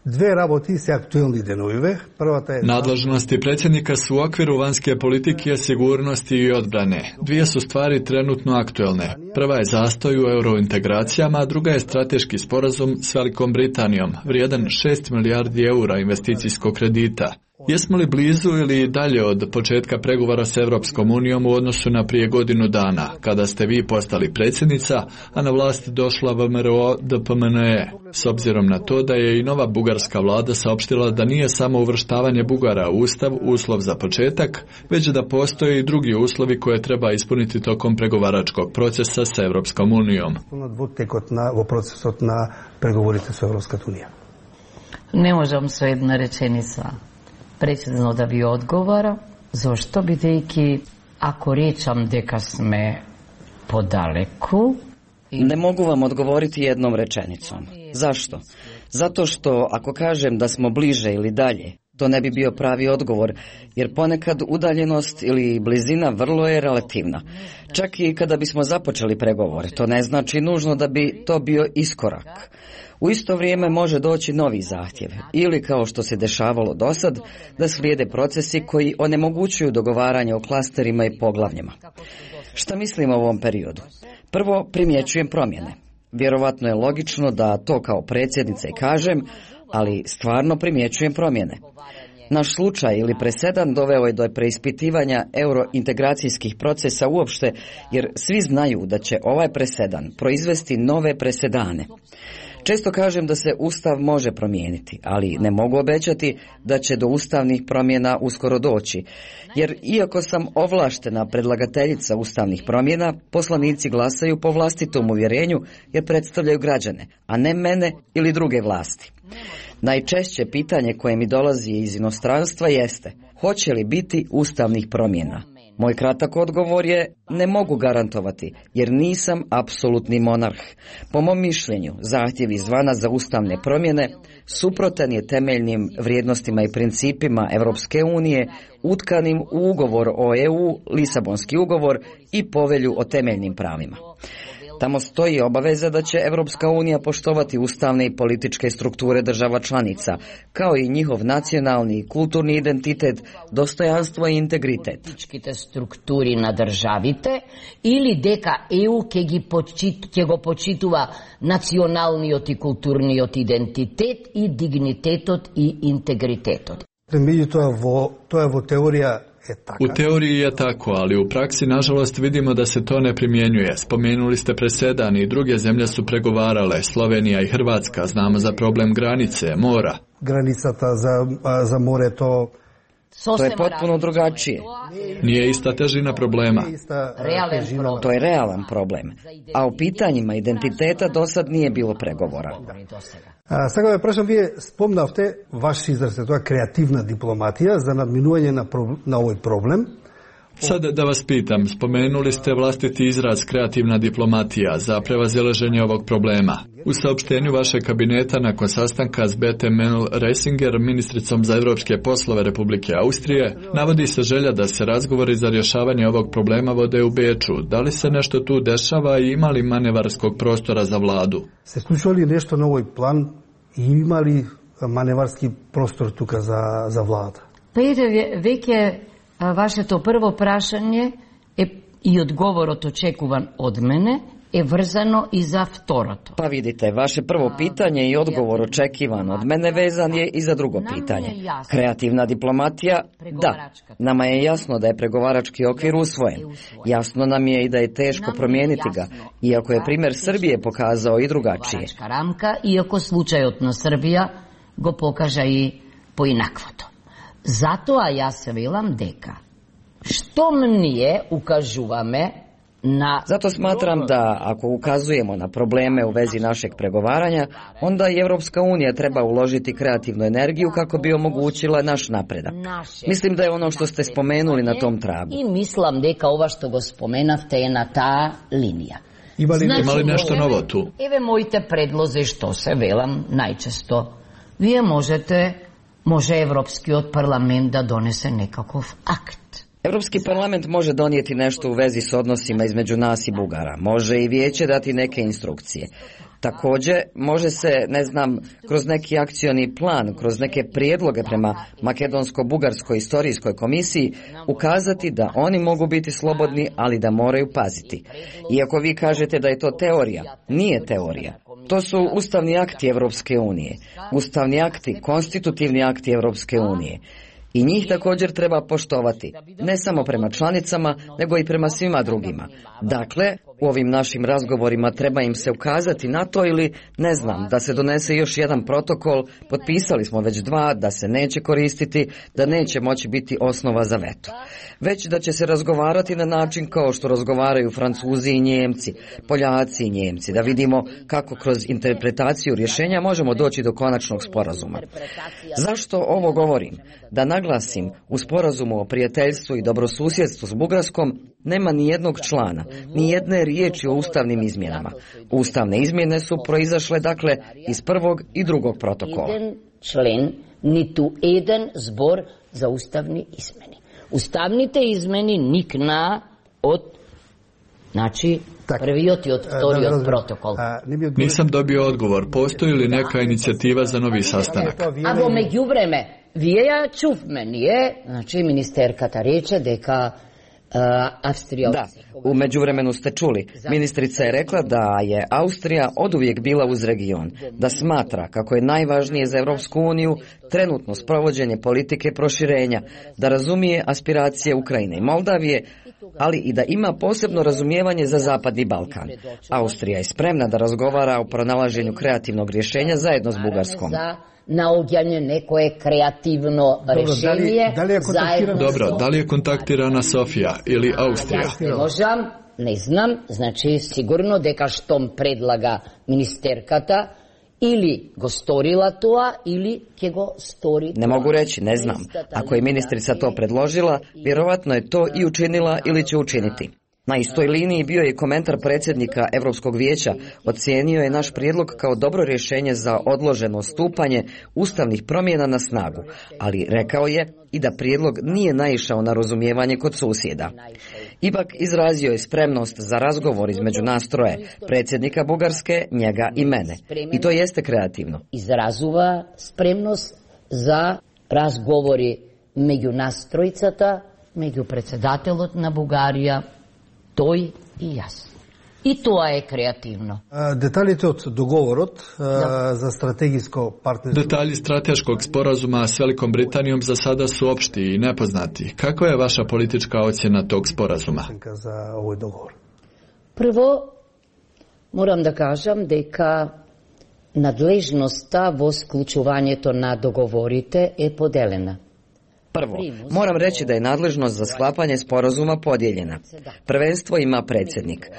E: Две работи се актуелни деновиве. Првата е...
T: Nadležnosti predsjednika su u okviru vanjske politike, sigurnosti i odbrane. Dvije su stvari trenutno aktuelne. Prva je zastoj u eurointegracijama, a druga je strateški sporazum s Velikom Britanijom, vrijedan šest milijardi eura investicijskog kredita. Jesmo li blizu ili dalje od početka pregovora s Evropskom unijom u odnosu na prije godinu dana, kada ste vi postali predsjednica, a na vlast došla V M R O D P M N E, s obzirom na to da je i nova bugarska vlada saopštila da nije samo uvrštavanje Bugara u Ustav uslov za početak, već da postoje i drugi uslovi koje treba ispuniti tokom pregovaračkog procesa s Evropskom unijom.
G: Ne možem sve jedna rečenica precizno da vi odgovara, zašto bi deki, ako rečam deka sme podaleku...
W: Ne mogu vam odgovoriti jednom rečenicom. Zašto? Zato što ako kažem da smo bliže ili dalje, to ne bi bio pravi odgovor, jer ponekad udaljenost ili blizina vrlo je relativna. Čak i kada bismo započeli pregovore, to ne znači nužno da bi to bio iskorak. U isto vrijeme može doći novi zahtjev, ili kao što se dešavalo dosad, da slijede procesi koji onemogućuju dogovaranje o klasterima i poglavljima. Šta mislim o ovom periodu? Prvo, primjećujem promjene. Vjerovatno je logično da to kao predsjednica i kažem, ali stvarno primjećujem promjene. Naš slučaj ili presedan doveo je do preispitivanja eurointegracijskih procesa uopšte, jer svi znaju da će ovaj presedan proizvesti nove presedane. Često kažem da se Ustav može promijeniti, ali ne mogu obećati da će do ustavnih promjena uskoro doći, jer iako sam ovlaštena predlagateljica ustavnih promjena, poslanici glasaju po vlastitom uvjerenju jer predstavljaju građane, a ne mene ili druge vlasti. Najčešće pitanje koje mi dolazi iz inostranstva jeste: hoće li biti ustavnih promjena? Moj kratak odgovor je: ne mogu garantovati, jer nisam apsolutni monarh. Po mom mišljenju, zahtjev izvana za ustavne promjene suprotan je temeljnim vrijednostima i principima Evropske unije, utkanim u ugovor o E U, Lisabonski ugovor i povelju o temeljnim pravima. Tamo stoji obaveza da će Evropska unija poštovati ustavne i političke strukture država članica, kao i njihov nacionalni i kulturni identitet, dostojanstvo i integritet.
G: Političkite strukturi na državite ili deka E U ke, počit, ke go počituva nacionalniot i kulturniot identitet i dignitetot i integritetot.
E: To je vo teorija
T: U teoriji je tako, ali u praksi nažalost vidimo da se to ne primjenjuje. Spomenuli ste presedan i druge zemlje su pregovarale, Slovenija i Hrvatska, znamo za problem granice, mora.
E: Granicata za, za more to...
W: To je potpuno drugačije.
T: Nije ista težina problema.
W: To je realan problem. A u pitanjima identiteta do sad nije bilo pregovora.
E: А, сега ве прашам, вие спомнавте ваш израз, тоа креативна дипломатија за надминување на, на овој проблем.
T: Sad da vas pitam, spomenuli ste vlastiti izraz kreativna diplomatija za prevazilaženje ovog problema. U saopštenju vašeg kabineta nakon sastanka s Bete Mennel-Reisinger, ministricom za evropske poslove Republike Austrije, navodi se želja da se razgovori za rješavanje ovog problema vode u Beču. Da li se nešto tu dešava i ima li manevarskog prostora za vladu?
E: Se slučува ли нешто на овој план и има ли маневарски простор тука за, за влада?
G: Пејде веќе вашето прво прашање е и одговорот очекуван од мене е врзано и за второто.
W: Pa vidite, vaše prvo pitanje i odgovor očekivan od mene vezan je i za drugo pitanje. Kreativna diplomatija, da. Nama je jasno da je pregovarački okvir usvojen. Jasno nam je i da je teško promijeniti ga, iako je primjer Srbije pokazao i drugačije.
G: Рамка, иако случајот на Србија го покажа и поинаквото. Затоа јас се велам дека што ние укажуваме na...
W: Zato smatram da ako ukazujemo na probleme u vezi našeg pregovaranja, onda i Evropska unija treba uložiti kreativnu energiju kako bi omogućila naš napredak. Mislim da je ono što ste spomenuli na tom tragu.
G: I mislim deka ova što go spomenavte je na ta linija.
T: Ima li, znači, ima li nešto novo tu?
G: Eve mojte predloze što se velam najčesto. Vi možete, može Evropski od parlament da donese nekakav akt.
W: Europski parlament može donijeti nešto u vezi s odnosima između nas i Bugara. Može i vijeće dati neke instrukcije. Također, može se, ne znam, kroz neki akcioni plan, kroz neke prijedloge prema Makedonsko-Bugarskoj istorijskoj komisiji ukazati da oni mogu biti slobodni, ali da moraju paziti. Iako vi kažete da je to teorija, nije teorija. To su ustavni akti Evropske unije. Ustavni akti, konstitutivni akti Evropske unije. I njih također treba poštovati, ne samo prema članicama, nego i prema svima drugima. Dakle, u ovim našim razgovorima treba im se ukazati na to ili, ne znam, da se donese još jedan protokol, potpisali smo već dva, da se neće koristiti, da neće moći biti osnova za veto. Već da će se razgovarati na način kao što razgovaraju Francuzi i Njemci, Poljaci i Njemci, da vidimo kako kroz interpretaciju rješenja možemo doći do konačnog sporazuma. Zašto ovo govorim? Da naglasim, u sporazumu o prijateljstvu i dobrosusjedstvu s Bugarskom nema ni jednog člana, ni jedne riječi o ustavnim izmjenama. Ustavne izmjene su proizašle, dakle, iz prvog i drugog protokola.
G: Jedan člen, nitu jedan zbor za ustavni izmeni. Ustavnite izmeni nikna od, znači, prvi od i od vtori od protokol.
T: Nisam dobio odgovor. Postoji li neka inicijativa za novi sastanak?
G: A vo međuvreme, vije čuv meni je, znači, ministerkata reče deka Uh, Avstrija...
W: Da, u međuvremenu ste čuli. Ministrica je rekla da je Austrija oduvijek bila uz region, da smatra kako je najvažnije za Evropsku uniju trenutno sprovođenje politike proširenja, da razumije aspiracije Ukrajine i Moldavije, ali i da ima posebno razumijevanje za Zapadni Balkan. Austrija je spremna da razgovara o pronalaženju kreativnog rješenja zajedno s Bugarskom.
G: Naođanje neko je kreativno rješenje.
T: Da li je kontaktirana, dobro, da li je kontaktirana Sofija ili Austrija?
G: Ja ne možem, ne znam, znači sigurno deka štom predlaga ministerkata ili go storila toa ili ke go stori toa.
W: Ne mogu reći, ne znam. Ako je ministrica to predložila, vjerovatno je to i učinila ili će učiniti. Na istoj liniji bio je komentar predsjednika Europskog vijeća, ocijenio je naš prijedlog kao dobro rješenje za odloženo stupanje ustavnih promjena na snagu, ali rekao je i da prijedlog nije naišao na razumijevanje kod susjeda. Ipak izrazio je spremnost za razgovor između nas troje, predsjednika Bugarske, njega i mene. I to jeste kreativno.
G: Izrazuva spremnost za razgovori među nas trojicата, među председателот на Бугарија, тој и јас. И тоа е креативно.
E: Деталите од договорот да. за стратегиско партнерство.
T: Detalji strateškog sporazuma s Velikom Britanijom za sada su opšti i nepoznati. Kakva je vaša politička ocjena tog sporazuma?
E: За овој договор.
G: Прво, морам да кажам дека надлежноста во склучувањето на договорите е поделена.
W: Prvo, moram reći da je nadležnost za sklapanje sporazuma podijeljena. Prvenstvo ima predsjednik.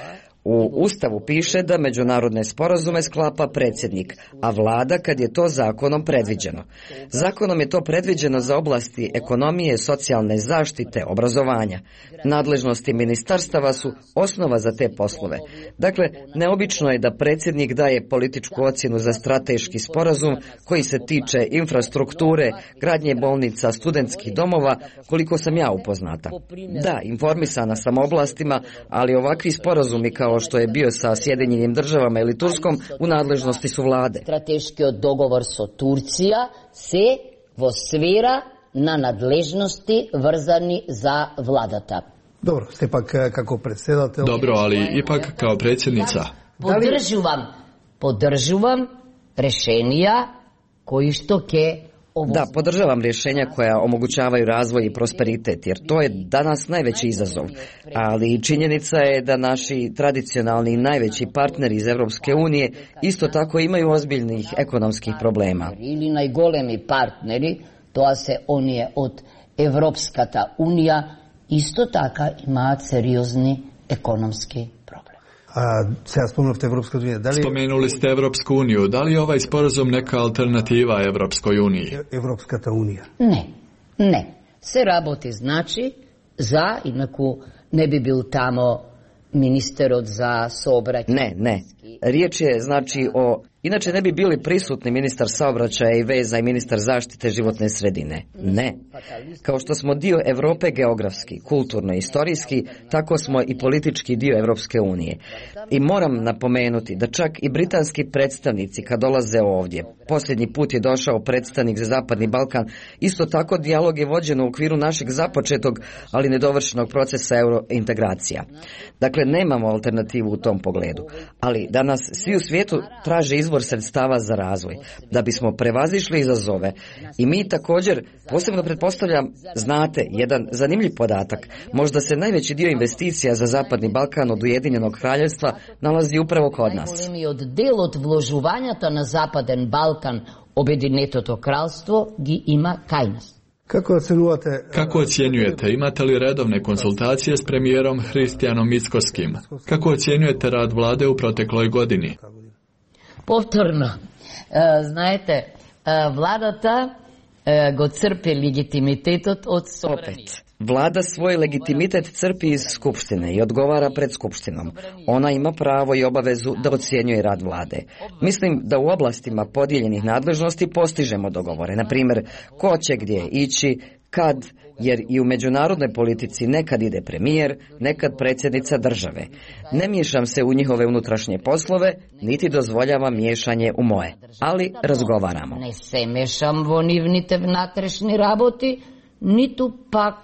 W: U Ustavu piše da međunarodne sporazume sklapa predsjednik, a vlada kad je to zakonom predviđeno. Zakonom je to predviđeno za oblasti ekonomije, socijalne zaštite, obrazovanja. Nadležnosti ministarstava su osnova za te poslove. Dakle, neobično je da predsjednik daje političku ocjenu za strateški sporazum koji se tiče infrastrukture, gradnje bolnica, studentskih domova, koliko sam ja upoznata. Da, informisana sam oblastima, ali ovakvi sporazumi kao što je bio sa Sjedinjenim državama ili Turskom u nadležnosti su vlade.
G: Strateškiот договор со Турција се во сфера на надлежности врзани за владата.
E: Dobro, ste pak kako predsjedatelj.
T: Dobro, ali ipak kao predsjednica.
G: Podržuvam, podržuvam rešenja koji što ke
W: Da, podržavam rješenja koja omogućavaju razvoj i prosperitet, jer to je danas najveći izazov. Ali činjenica je da naši tradicionalni i najveći partneri iz Evropske unije isto tako imaju ozbiljnih ekonomskih problema.
G: Ili najgolemi partneri, тоа се оние од Европската унија, исто така имаат сериозни економски проблеми.
E: A сега spomenuli Evropsku uniju. Da li...
T: Spomenuli ste Evropsku uniju. Da li je ovaj sporazum neka alternativa Evropskoj uniji?
E: Evropskata unija.
G: Ne, ne. Se работи значи за, инаку не би бил тамо министерот за сообраќај.
W: Ne, ne. Riječ je znači o... Inače ne bi bili prisutni ministar saobraćaja i veza i ministar zaštite životne sredine. Ne. Kao što smo dio Europe geografski, kulturno i istorijski, tako smo i politički dio Evropske unije. I moram napomenuti da čak i britanski predstavnici kad dolaze ovdje, posljednji put je došao predstavnik za Zapadni Balkan, isto tako dijalog je vođen u okviru našeg započetog, ali nedovršenog procesa eurointegracija. Dakle, nemamo alternativu u tom pogledu. Ali danas svi u svijetu traže izvor sredstava za razvoj, da bismo prevazišli izazove. I mi također, posebno pretpostavljam, znate, jedan zanimljiv podatak, možda se najveći dio investicija za Zapadni Balkan od Ujedinjenog kraljevstva nalazi upravo kod nas.
G: Најголемиот дел од вложувањата на Западен Балкан, Обединетото кралство ги има кај нас.
E: Kako ocenujete...
T: Kako ocjenjujete? Imate li redovne konsultacije s premijerom Hristijanom Mickoskim? Kako ocjenjujete rad vlade u protekloj godini?
G: Повторно, знаете, владата го црпи легитимитетот од собранието.
W: Vlada svoj legitimitet crpi iz Skupštine i odgovara pred Skupštinom. Ona ima pravo i obavezu da ocjenjuje rad vlade. Mislim da u oblastima podijeljenih nadležnosti postižemo dogovore. Na primjer, ko će gdje ići, kad, jer i u međunarodnoj politici nekad ide premijer, nekad predsjednica države. Ne miješam se u njihove unutrašnje poslove, niti dozvoljavam miješanje u moje, ali razgovaramo.
G: Ne se mešam vo nivните внатрешни работи, ниту пак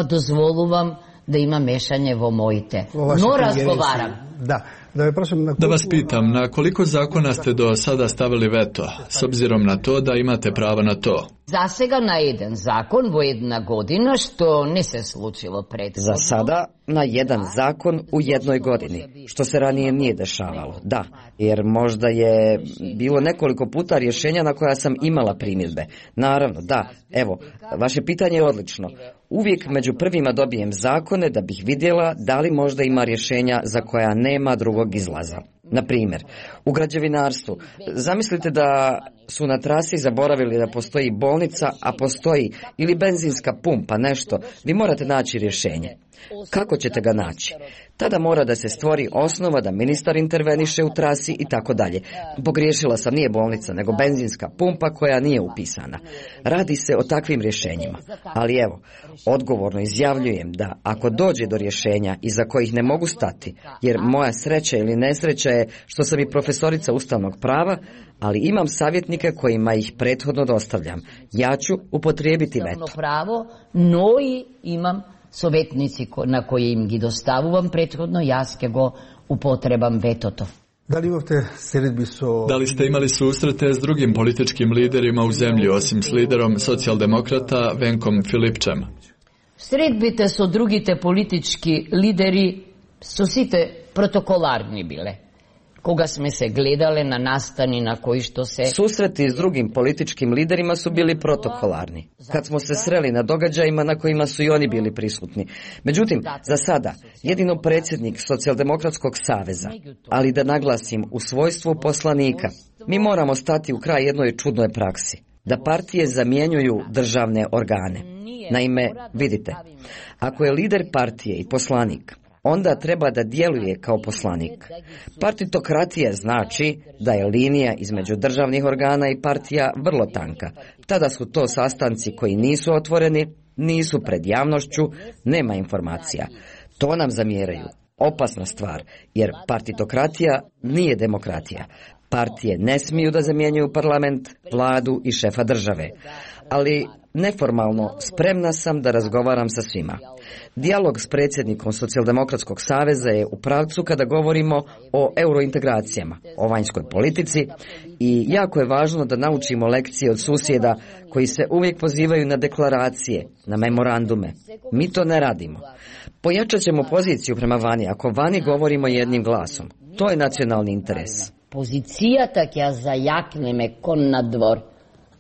G: dozvolujem da ima mešanje vo mojite. No razgovaram.
E: Da. Da, prošem, na
T: da vas pitam, na koliko zakona ste do sada stavili veto, s obzirom na to da imate pravo na to?
G: Za сега na jedan zakon vo jedna godina, što ne se slučilo prethodno.
W: Za sada na jedan zakon u jednoj godini, što se ranije nije dešavalo. Da, jer možda je bilo nekoliko puta rješenja na koja sam imala primjedbe. Naravno, da, evo, vaše pitanje je odlično. Uvijek među prvima dobijem zakone da bih vidjela da li možda ima rješenja za koja nema drugog izlaza. Na primjer, u građevinarstvu, zamislite da su na trasi zaboravili da postoji bolnica, a postoji ili benzinska pumpa, nešto, vi morate naći rješenje. Kako ćete ga naći? Tada mora da se stvori osnova da ministar interveniše u trasi i tako dalje. Pogriješila sam, nije bolnica, nego benzinska pumpa koja nije upisana. Radi se o takvim rješenjima. Ali evo, odgovorno izjavljujem da ako dođe do rješenja iza kojih ne mogu stati, jer moja sreća ili nesreća je što sam i profesorica ustavnog prava, ali imam savjetnike kojima ih prethodno dostavljam. Ja ću upotrijebiti veto.
G: Pravo, no i imam sovetnici na koje im gi dostavujem prethodno, jaz ke go upotrebam vetoto.
E: Da li imate selidbi so...
T: Da li ste imali susrete s drugim političkim liderima u zemlji, osim s liderom socijaldemokrata Venkom Filipčem?
G: Sredbite so drugite politički lideri so site protokolarni bile. Koga sme se gledale na nastani na koji što se...
W: Susreti s drugim političkim liderima su bili protokolarni. Kad smo se sreli na događajima na kojima su i oni bili prisutni. Međutim, za sada, jedino predsjednik Socijaldemokratskog saveza, ali da naglasim u svojstvu poslanika, mi moramo stati u kraj jednoj čudnoj praksi. Da partije zamjenjuju državne organe. Naime, vidite, ako je lider partije i poslanik, onda treba da djeluje kao poslanik. Partitokratija znači da je linija između državnih organa i partija vrlo tanka. Tada su to sastanci koji nisu otvoreni, nisu pred javnošću, nema informacija. To nam zamjeraju. Opasna stvar, jer partitokratija nije demokratija. Partije ne smiju da zamjenjuju parlament, vladu i šefa države. Ali neformalno spremna sam da razgovaram sa svima. Dijalog s predsjednikom Socijaldemokratskog saveza je u pravcu kada govorimo o eurointegracijama, o vanjskoj politici i jako je važno da naučimo lekcije od susjeda koji se uvijek pozivaju na deklaracije, na memorandume. Mi to ne radimo. Pojačat ćemo poziciju prema vani ako vani govorimo jednim glasom. To je nacionalni interes.
G: Pozicija tak ja zajakneme kon na dvor.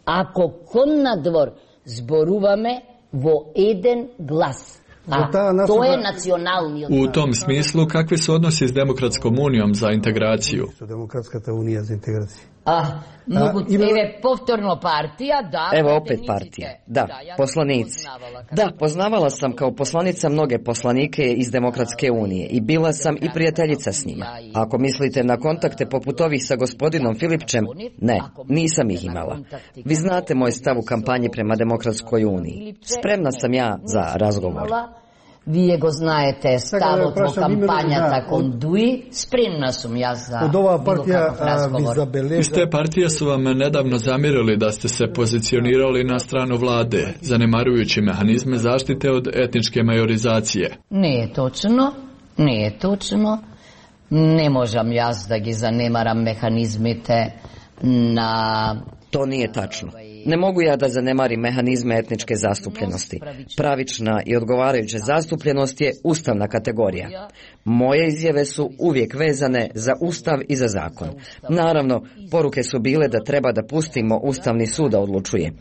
G: Ako kon na dvor zboruvame vo eden glas. A to je nacionalni odbor.
T: U tom smislu, kakvi su odnosi s Demokratskom unijom za integraciju?
E: Demokratska unija za integraciju.
G: Ah, mogu tebe povtorno partija, da...
W: Evo opet partija, da, poslanici. Da, poznavala sam kao poslanica mnoge poslanike iz Demokratske unije i bila sam i prijateljica s njima. Ako mislite na kontakte poput ovih sa gospodinom Filipčem, ne, nisam ih imala. Vi znate moj stav u kampanji prema Demokratskoj uniji. Spremna sam ja za razgovor.
G: Вие го знаете, ставот во кампањата кон Дуи, спремна сум јас за било каков разговор.
T: Iz te partije su vam nedavno zamjerili da ste se pozicionirali na stranu vlade, zanemarujući mehanizme zaštite od etničke majorizacije.
G: Не е точно, не е точно. Не можам јас да ги занемарам механизмите на...
W: To nije tačno. Ne mogu ja da zanemarim mehanizme etničke zastupljenosti. Pravična i odgovarajuća zastupljenost je ustavna kategorija. Moje izjave su uvijek vezane za ustav i za zakon. Naravno, poruke su bile da treba da pustimo Ustavni sud da odlučuje.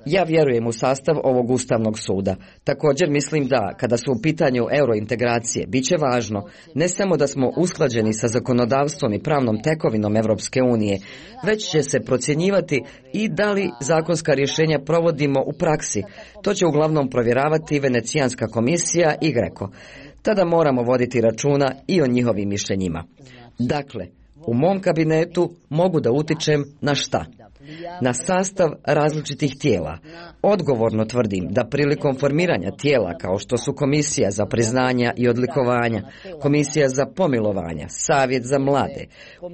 W: Ja vjerujem u sastav ovog Ustavnog suda. Također mislim da, kada su u pitanju eurointegracije, bit će važno ne samo da smo usklađeni sa zakonodavstvom i pravnom tekovinom Evropske unije, već će se procjenjivati i da li zakonska rješenja provodimo u praksi. To će uglavnom provjeravati Venecijanska komisija i Greko. Tada moramo voditi računa i o njihovim mišljenjima. Dakle, u mom kabinetu mogu da utičem na šta? Na sastav različitih tijela. Odgovorno tvrdim da prilikom formiranja tijela kao što su Komisija za priznanja i odlikovanja, Komisija za pomilovanja, Savjet za mlade,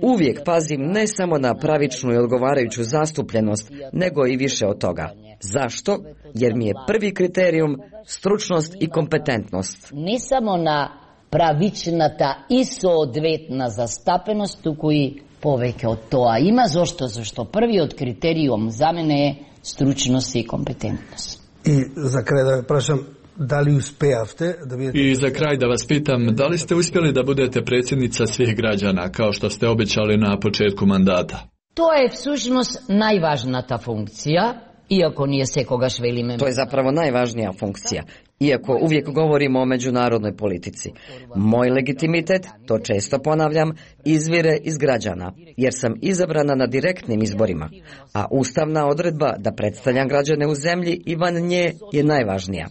W: uvijek pazim ne samo na pravičnu i odgovarajuću zastupljenost, nego i više od toga. Zašto? Jer mi je prvi kriterijum stručnost i kompetentnost.
G: Ne samo na pravičната и соодветна застапеност, туку и повеќе од тоа има. Зошто? Зашто првиот критериум за мене е стручност и компетентност.
E: И за крај да ве прашам, дали успеавте да бидете...
T: I za kraj da vas pitam, da li ste uspjeli da budete predsjednica svih građana, kao što ste obećali na početku mandata?
G: Тоа е всушност најважната функција, иако ние секогаш велиме...
W: To je zapravo najvažnija funkcija. iako uvijek govorimo o međunarodnoj politici. Moj legitimitet, to često ponavljam, izvire iz građana, jer sam izabrana na direktnim izborima, a ustavna odredba da predstavljam građane u zemlji i van nje je najvažnija.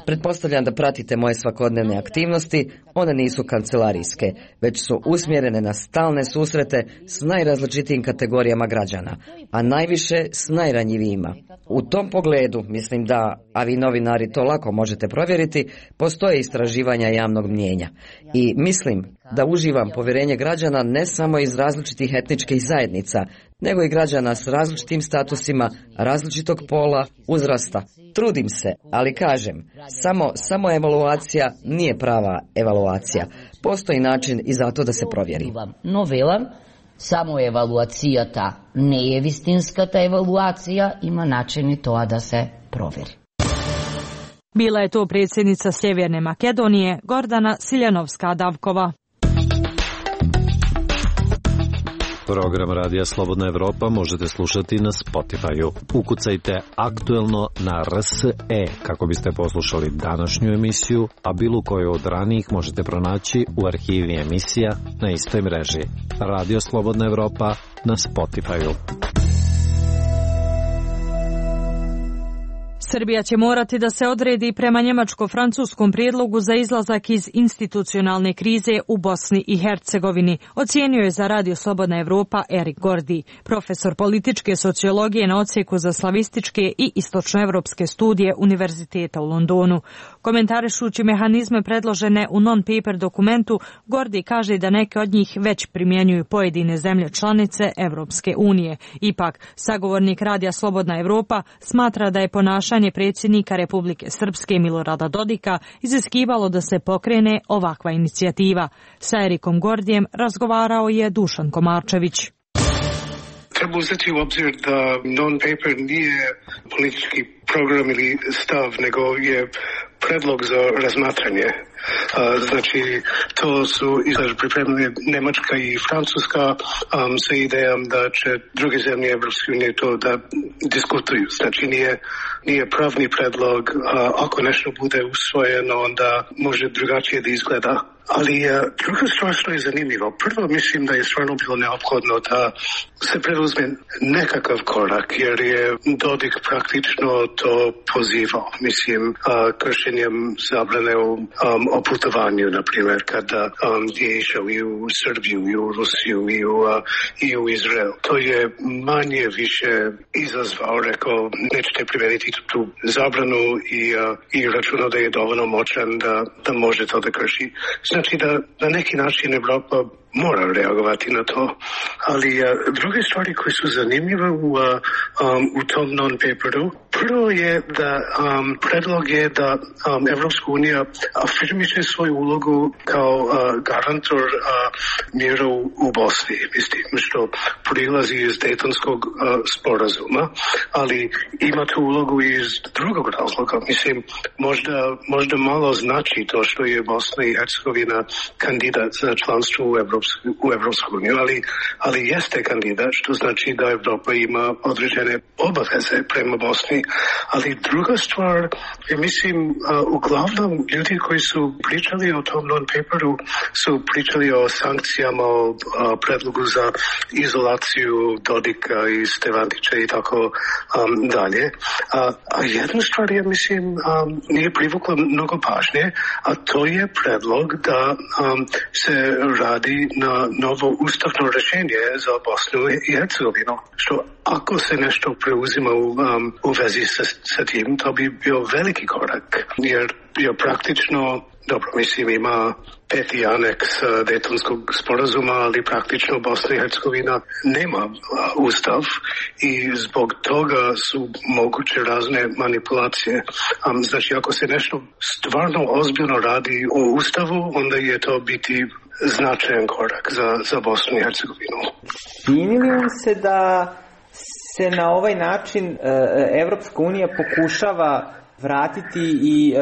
W: Pretpostavljam da pratite moje svakodnevne aktivnosti, one nisu kancelarijske, već su usmjerene na stalne susrete s najrazličitijim kategorijama građana, a najviše s najranjivijima. U tom pogledu, mislim da, a vi novinari to lako možete provjeriti, postoje istraživanja javnog mnijenja. I mislim da uživam povjerenje građana ne samo iz različitih etničkih zajednica, nego i građana s različitim statusima, različitog pola, uzrasta. Trudim se, ali kažem, samo, samo evaluacija nije prava evaluacija. Postoji način i zato da se provjeri.
G: No velam, samo evaluacijata ne je vistinskata evaluacija, ima način i to da se provjeri.
A: Bila je to predsjednica Sjeverne Makedonije Gordana Siljanovska-Davkova.
H: Program Radija Slobodna Evropa možete slušati na Spotify-u. Ukucajte aktuelno na R S E kako biste poslušali današnju emisiju, a bilo koju od ranijih možete pronaći u arhivi emisija na istoj mreži. Radio Slobodna Evropa na Spotify-u.
A: Srbija će morati da se odredi prema njemačko-francuskom prijedlogu za izlazak iz institucionalne krize u Bosni i Hercegovini, ocijenio je za Radio Slobodna Evropa Erik Gordi, profesor političke sociologije na odsjeku za slavističke i istočnoevropske studije Univerziteta u Londonu. Komentarišući mehanizme predložene u non-paper dokumentu, Gordi kaže da neke od njih već primjenjuju pojedine zemlje članice Evropske unije. Ipak, sagovornik Radija Slobodna Evropa smatra da je ponašanje predsjednika Republike Srpske Milorada Dodika iziskivalo da se pokrene ovakva inicijativa. Sa Erikom Gordijem razgovarao je Dušan Komarčević.
C: Treba uzeti u obzir da non-paper nije politički program ili stav, nego je predlog za razmatranje. Uh, znači, to su izlaž pripremili Nemačka i Francuska um, sa idejom da će druge zemlje Evropske unije to da diskutuju. Znači, nije, nije pravni predlog. Uh, ako nešto bude usvojeno, onda može drugačije da izgleda. Ali uh, druga stvar što je zanimljivo. Prvo, mislim da je stvarno bilo neophodno da se preduzme nekakav korak, jer je Dodik praktično to pozivao. Mislim, uh, kršenjem zabrane u um, o putovanju, na primjer, kada um, je išao i u Srbiju, i u Rusiju, i u, uh, i u Izrael. To je manje više izazvao, rekao, nećete primeniti tu zabranu i, uh, i računao da je dovoljno moćan da, da može to da krši. Znači da na neki način Evropa mora reagovati na to. Ali uh, druge stvari koje su zanimljive u, uh, um, u tom non-paperu, prvo je da um, predlog je da um, Evropska unija afirmiše svoju ulogu kao uh, garantor uh, mira u, u Bosni, mislim, što prilazi iz Dejtonskog uh, sporazuma, ali ima tu ulogu iz drugog razloga. Mislim, možda, možda malo znači to što je Bosna i Hercegovina kandidat za članstvo u Evropsku u Evropsku uniju, ali, ali jeste kandidat, što znači da Evropa ima određene obaveze prema Bosni. Ali druga stvar, mislim, uh, uglavnom ljudi koji su pričali o tom non-paperu su pričali o sankcijama, o uh, predlogu za izolaciju Dodika i Stevandića i tako um, dalje. A, a jedna stvar je, mislim, um, nije privukla mnogo pažnje, a to je predlog da um, se radi na novo ustavno rješenje za Bosnu i Hercegovinu. Što ako se nešto preuzima u, um, u vezi sa, sa tim, to bi bio veliki korak, jer bio praktično, dobro, mislim, ima peti aneks Dejtonskog sporazuma, ali praktično Bosna i Hercegovina nema uh, ustav i zbog toga su moguće razne manipulacije. Um, znači, ako se nešto stvarno ozbiljno radi o ustavu, onda je to biti značajan korak za, za Bosnu i Hercegovinu.
I: Čini li vam se da se na ovaj način Evropska unija pokušava
J: vratiti i uh,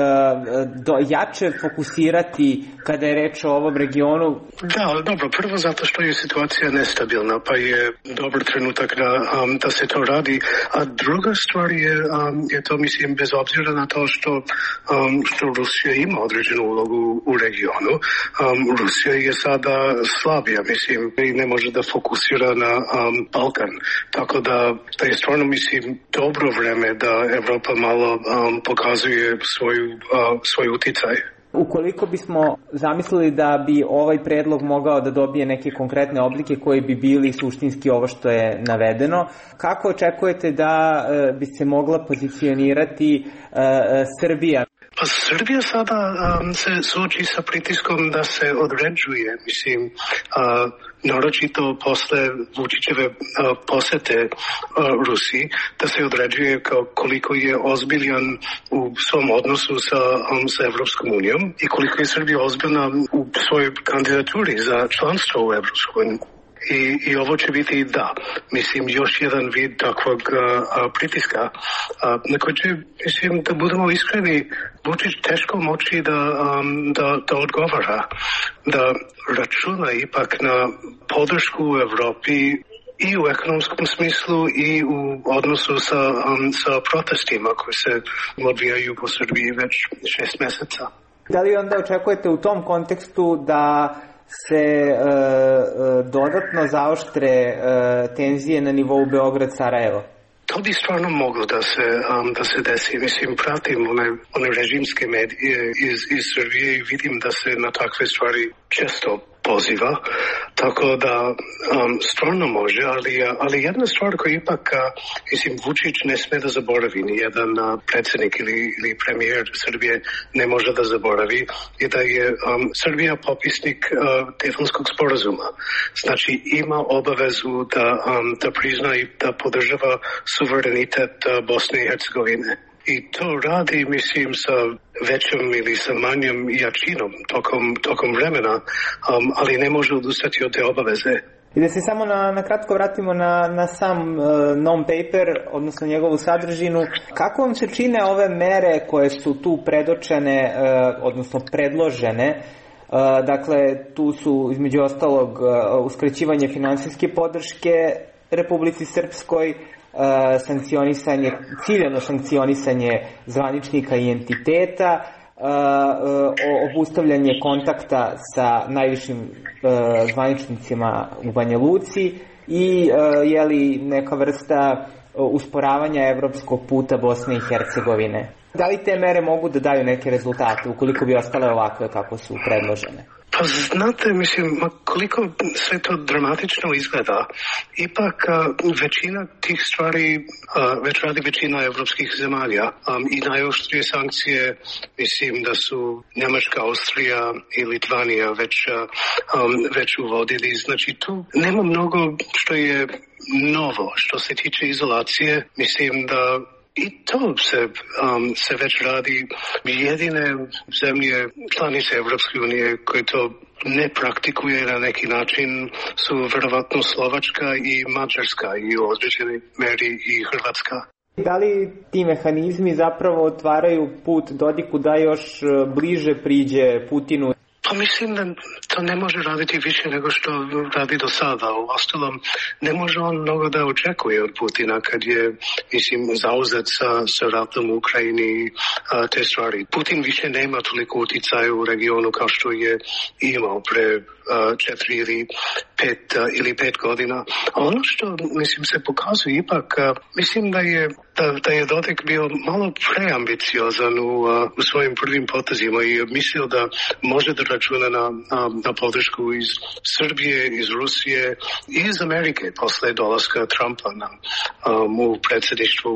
J: do, jače fokusirati kada je reč o ovom regionu?
C: Da, dobro, prvo zato što je situacija nestabilna, pa je dobar trenutak da, um, da se to radi, a druga stvar je, um, je to, mislim, bez obzira na to što, um, što Rusija ima određenu ulogu u regionu, um, Rusija je sada slabija, mislim, i ne može da fokusira na um, Balkan, tako da, da je stvarno, mislim, dobro vreme da Evropa malo um, pokazuje svoju, uh, svoj uticaj.
J: Ukoliko bismo zamislili da bi ovaj predlog mogao da dobije neke konkretne oblike koji bi bili suštinski ovo što je navedeno, kako očekujete da uh, bi se mogla pozicionirati uh, Srbija?
C: Pa Srbija sada um, se suoči sa pritiskom da se određuje, mislim, uh, naročito posle Vučićeve uh, posete uh, Rusiji, da se određuje kao koliko je ozbiljan u svom odnosu sa, um, sa Evropskom unijom i koliko je Srbija ozbiljna u svojoj kandidaturi za članstvo u Evropskoj uniji. I, I ovo će biti da, mislim, još jedan vid takvog a, a, pritiska. A, na koji će, mislim, da budemo iskreni, Vučić teško moći da, um, da, da odgovara, da računa ipak na podršku u Evropi i u ekonomskom smislu i u odnosu sa, um, sa protestima koji se odvijaju po Srbiji već šest meseca.
J: Da li onda očekujete u tom kontekstu da se e, dodatno zaoštre e, tenzije na nivou Beograd-Sarajevo?
C: To bi stvarno moglo da se, um, da se desi. Mislim, pratim one, one režimske medije iz, iz Srbije i vidim da se na takve stvari često poziva, tako da um, stvarno može, ali, ali jedna stvar koja ipak, mislim, Vučić ne sme da zaboravi, ni jedan predsjednik ili, ili premijer Srbije ne može da zaboravi, je da je um, Srbija popisnik uh, Daytonskog sporazuma. Znači, ima obavezu da, um, da prizna i da podržava suverenitet uh, Bosne i Hercegovine. I to radi, mislim, sa većom ili sa manjom jačinom tokom, tokom vremena, um, ali ne može odustati od te obaveze.
J: I da se samo na, na kratko vratimo na, na sam uh, non-paper, odnosno njegovu sadržinu. Kako vam se čine ove mere koje su tu predočene, uh, odnosno predložene? Uh, dakle, tu su između ostalog uh, uskraćivanje finansijske podrške Republici Srpskoj, Uh, sankcionisanje, ciljano sankcionisanje zvaničnika i entiteta, uh, uh, obustavljanje kontakta sa najvišim uh, zvaničnicima u Banja Luci i uh, jeli neka vrsta uh, usporavanja evropskog puta Bosne i Hercegovine. Da li te mere mogu da daju neke rezultate ukoliko bi ostale ovakve kako su predložene?
C: Pa znate, mislim, koliko sve to dramatično izgleda, ipak a, većina tih stvari a, već radi većina evropskih zemalja um, i najoštrije sankcije, mislim da su Njemačka, Austrija i Litvanija već, um, već uvodili. Znači tu nema mnogo što je novo što se tiče izolacije, mislim da i to se, um, se već radi. Jedine zemlje članice Evropske unije koje to ne praktikuje na neki način su verovatno Slovačka i Mađarska i u određenoj meri i Hrvatska.
J: Da li ti mehanizmi zapravo otvaraju put Dodiku da još bliže priđe Putinu?
C: Pa mislim da to ne može raditi više nego što radi do sada. U ostalom, ne može on mnogo da očekuje od Putina kad je, mislim, zauzet sa, sa ratom u Ukrajini a, te stvari. Putin više nema toliko uticaja u regionu kao što je imao pre a, četiri ili pet, a, ili pet godina. A ono što, mislim, se pokazuje ipak, a, mislim da je Da, da je Dodik bio malo preambiciozan u, u svojim prvim potezima i mislio da može da računa na, na, na podršku iz Srbije, iz Rusije i iz Amerike posle dolaska Trumpa na, um, u predsjedništvu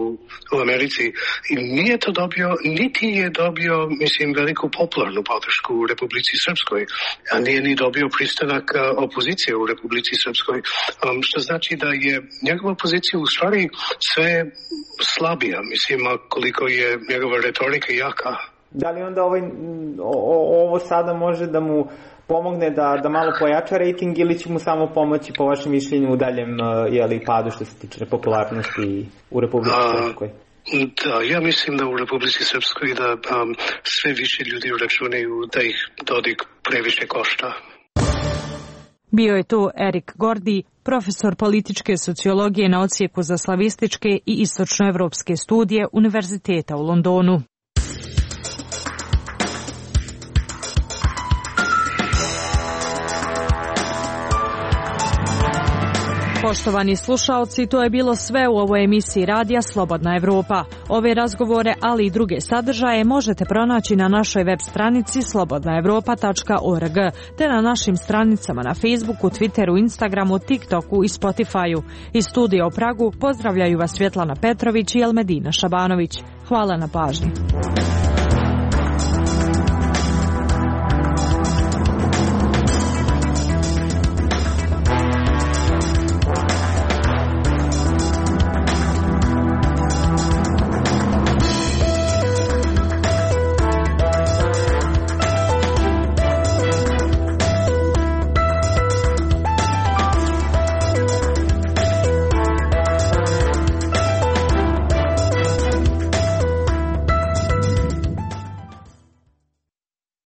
C: u Americi. I nije to dobio, niti je dobio, mislim, veliku popularnu podršku u Republici Srpskoj, a nije ni dobio pristanak opozicije u Republici Srpskoj, um, što znači da je njegova pozicija u stvari sve slabija, mislim, koliko je njegova retorika jaka.
J: Da li onda ovaj, o, ovo sada može da mu pomogne da, da malo pojača rating ili će mu samo pomoći po vašem mišljenju u daljem jeli, padu što se tiče popularnosti u Republici Srpskoj?
C: Da, ja mislim da u Republici Srpskoj da um, sve više ljudi računaju da ih Dodik previše košta.
A: Bio je tu Erik Gordi, profesor političke sociologije na odsjeku za slavističke i istočnoevropske studije Univerziteta u Londonu. Poštovani slušaoci, to je bilo sve u ovoj emisiji radija Slobodna Evropa. Ove razgovore, ali i druge sadržaje možete pronaći na našoj web stranici slobodna evropa tačka org, te na našim stranicama na Facebooku, Twitteru, Instagramu, TikToku i Spotifyu. Iz studija u Pragu pozdravljaju vas Svjetlana Petrović i Elmedina Šabanović. Hvala na pažnji.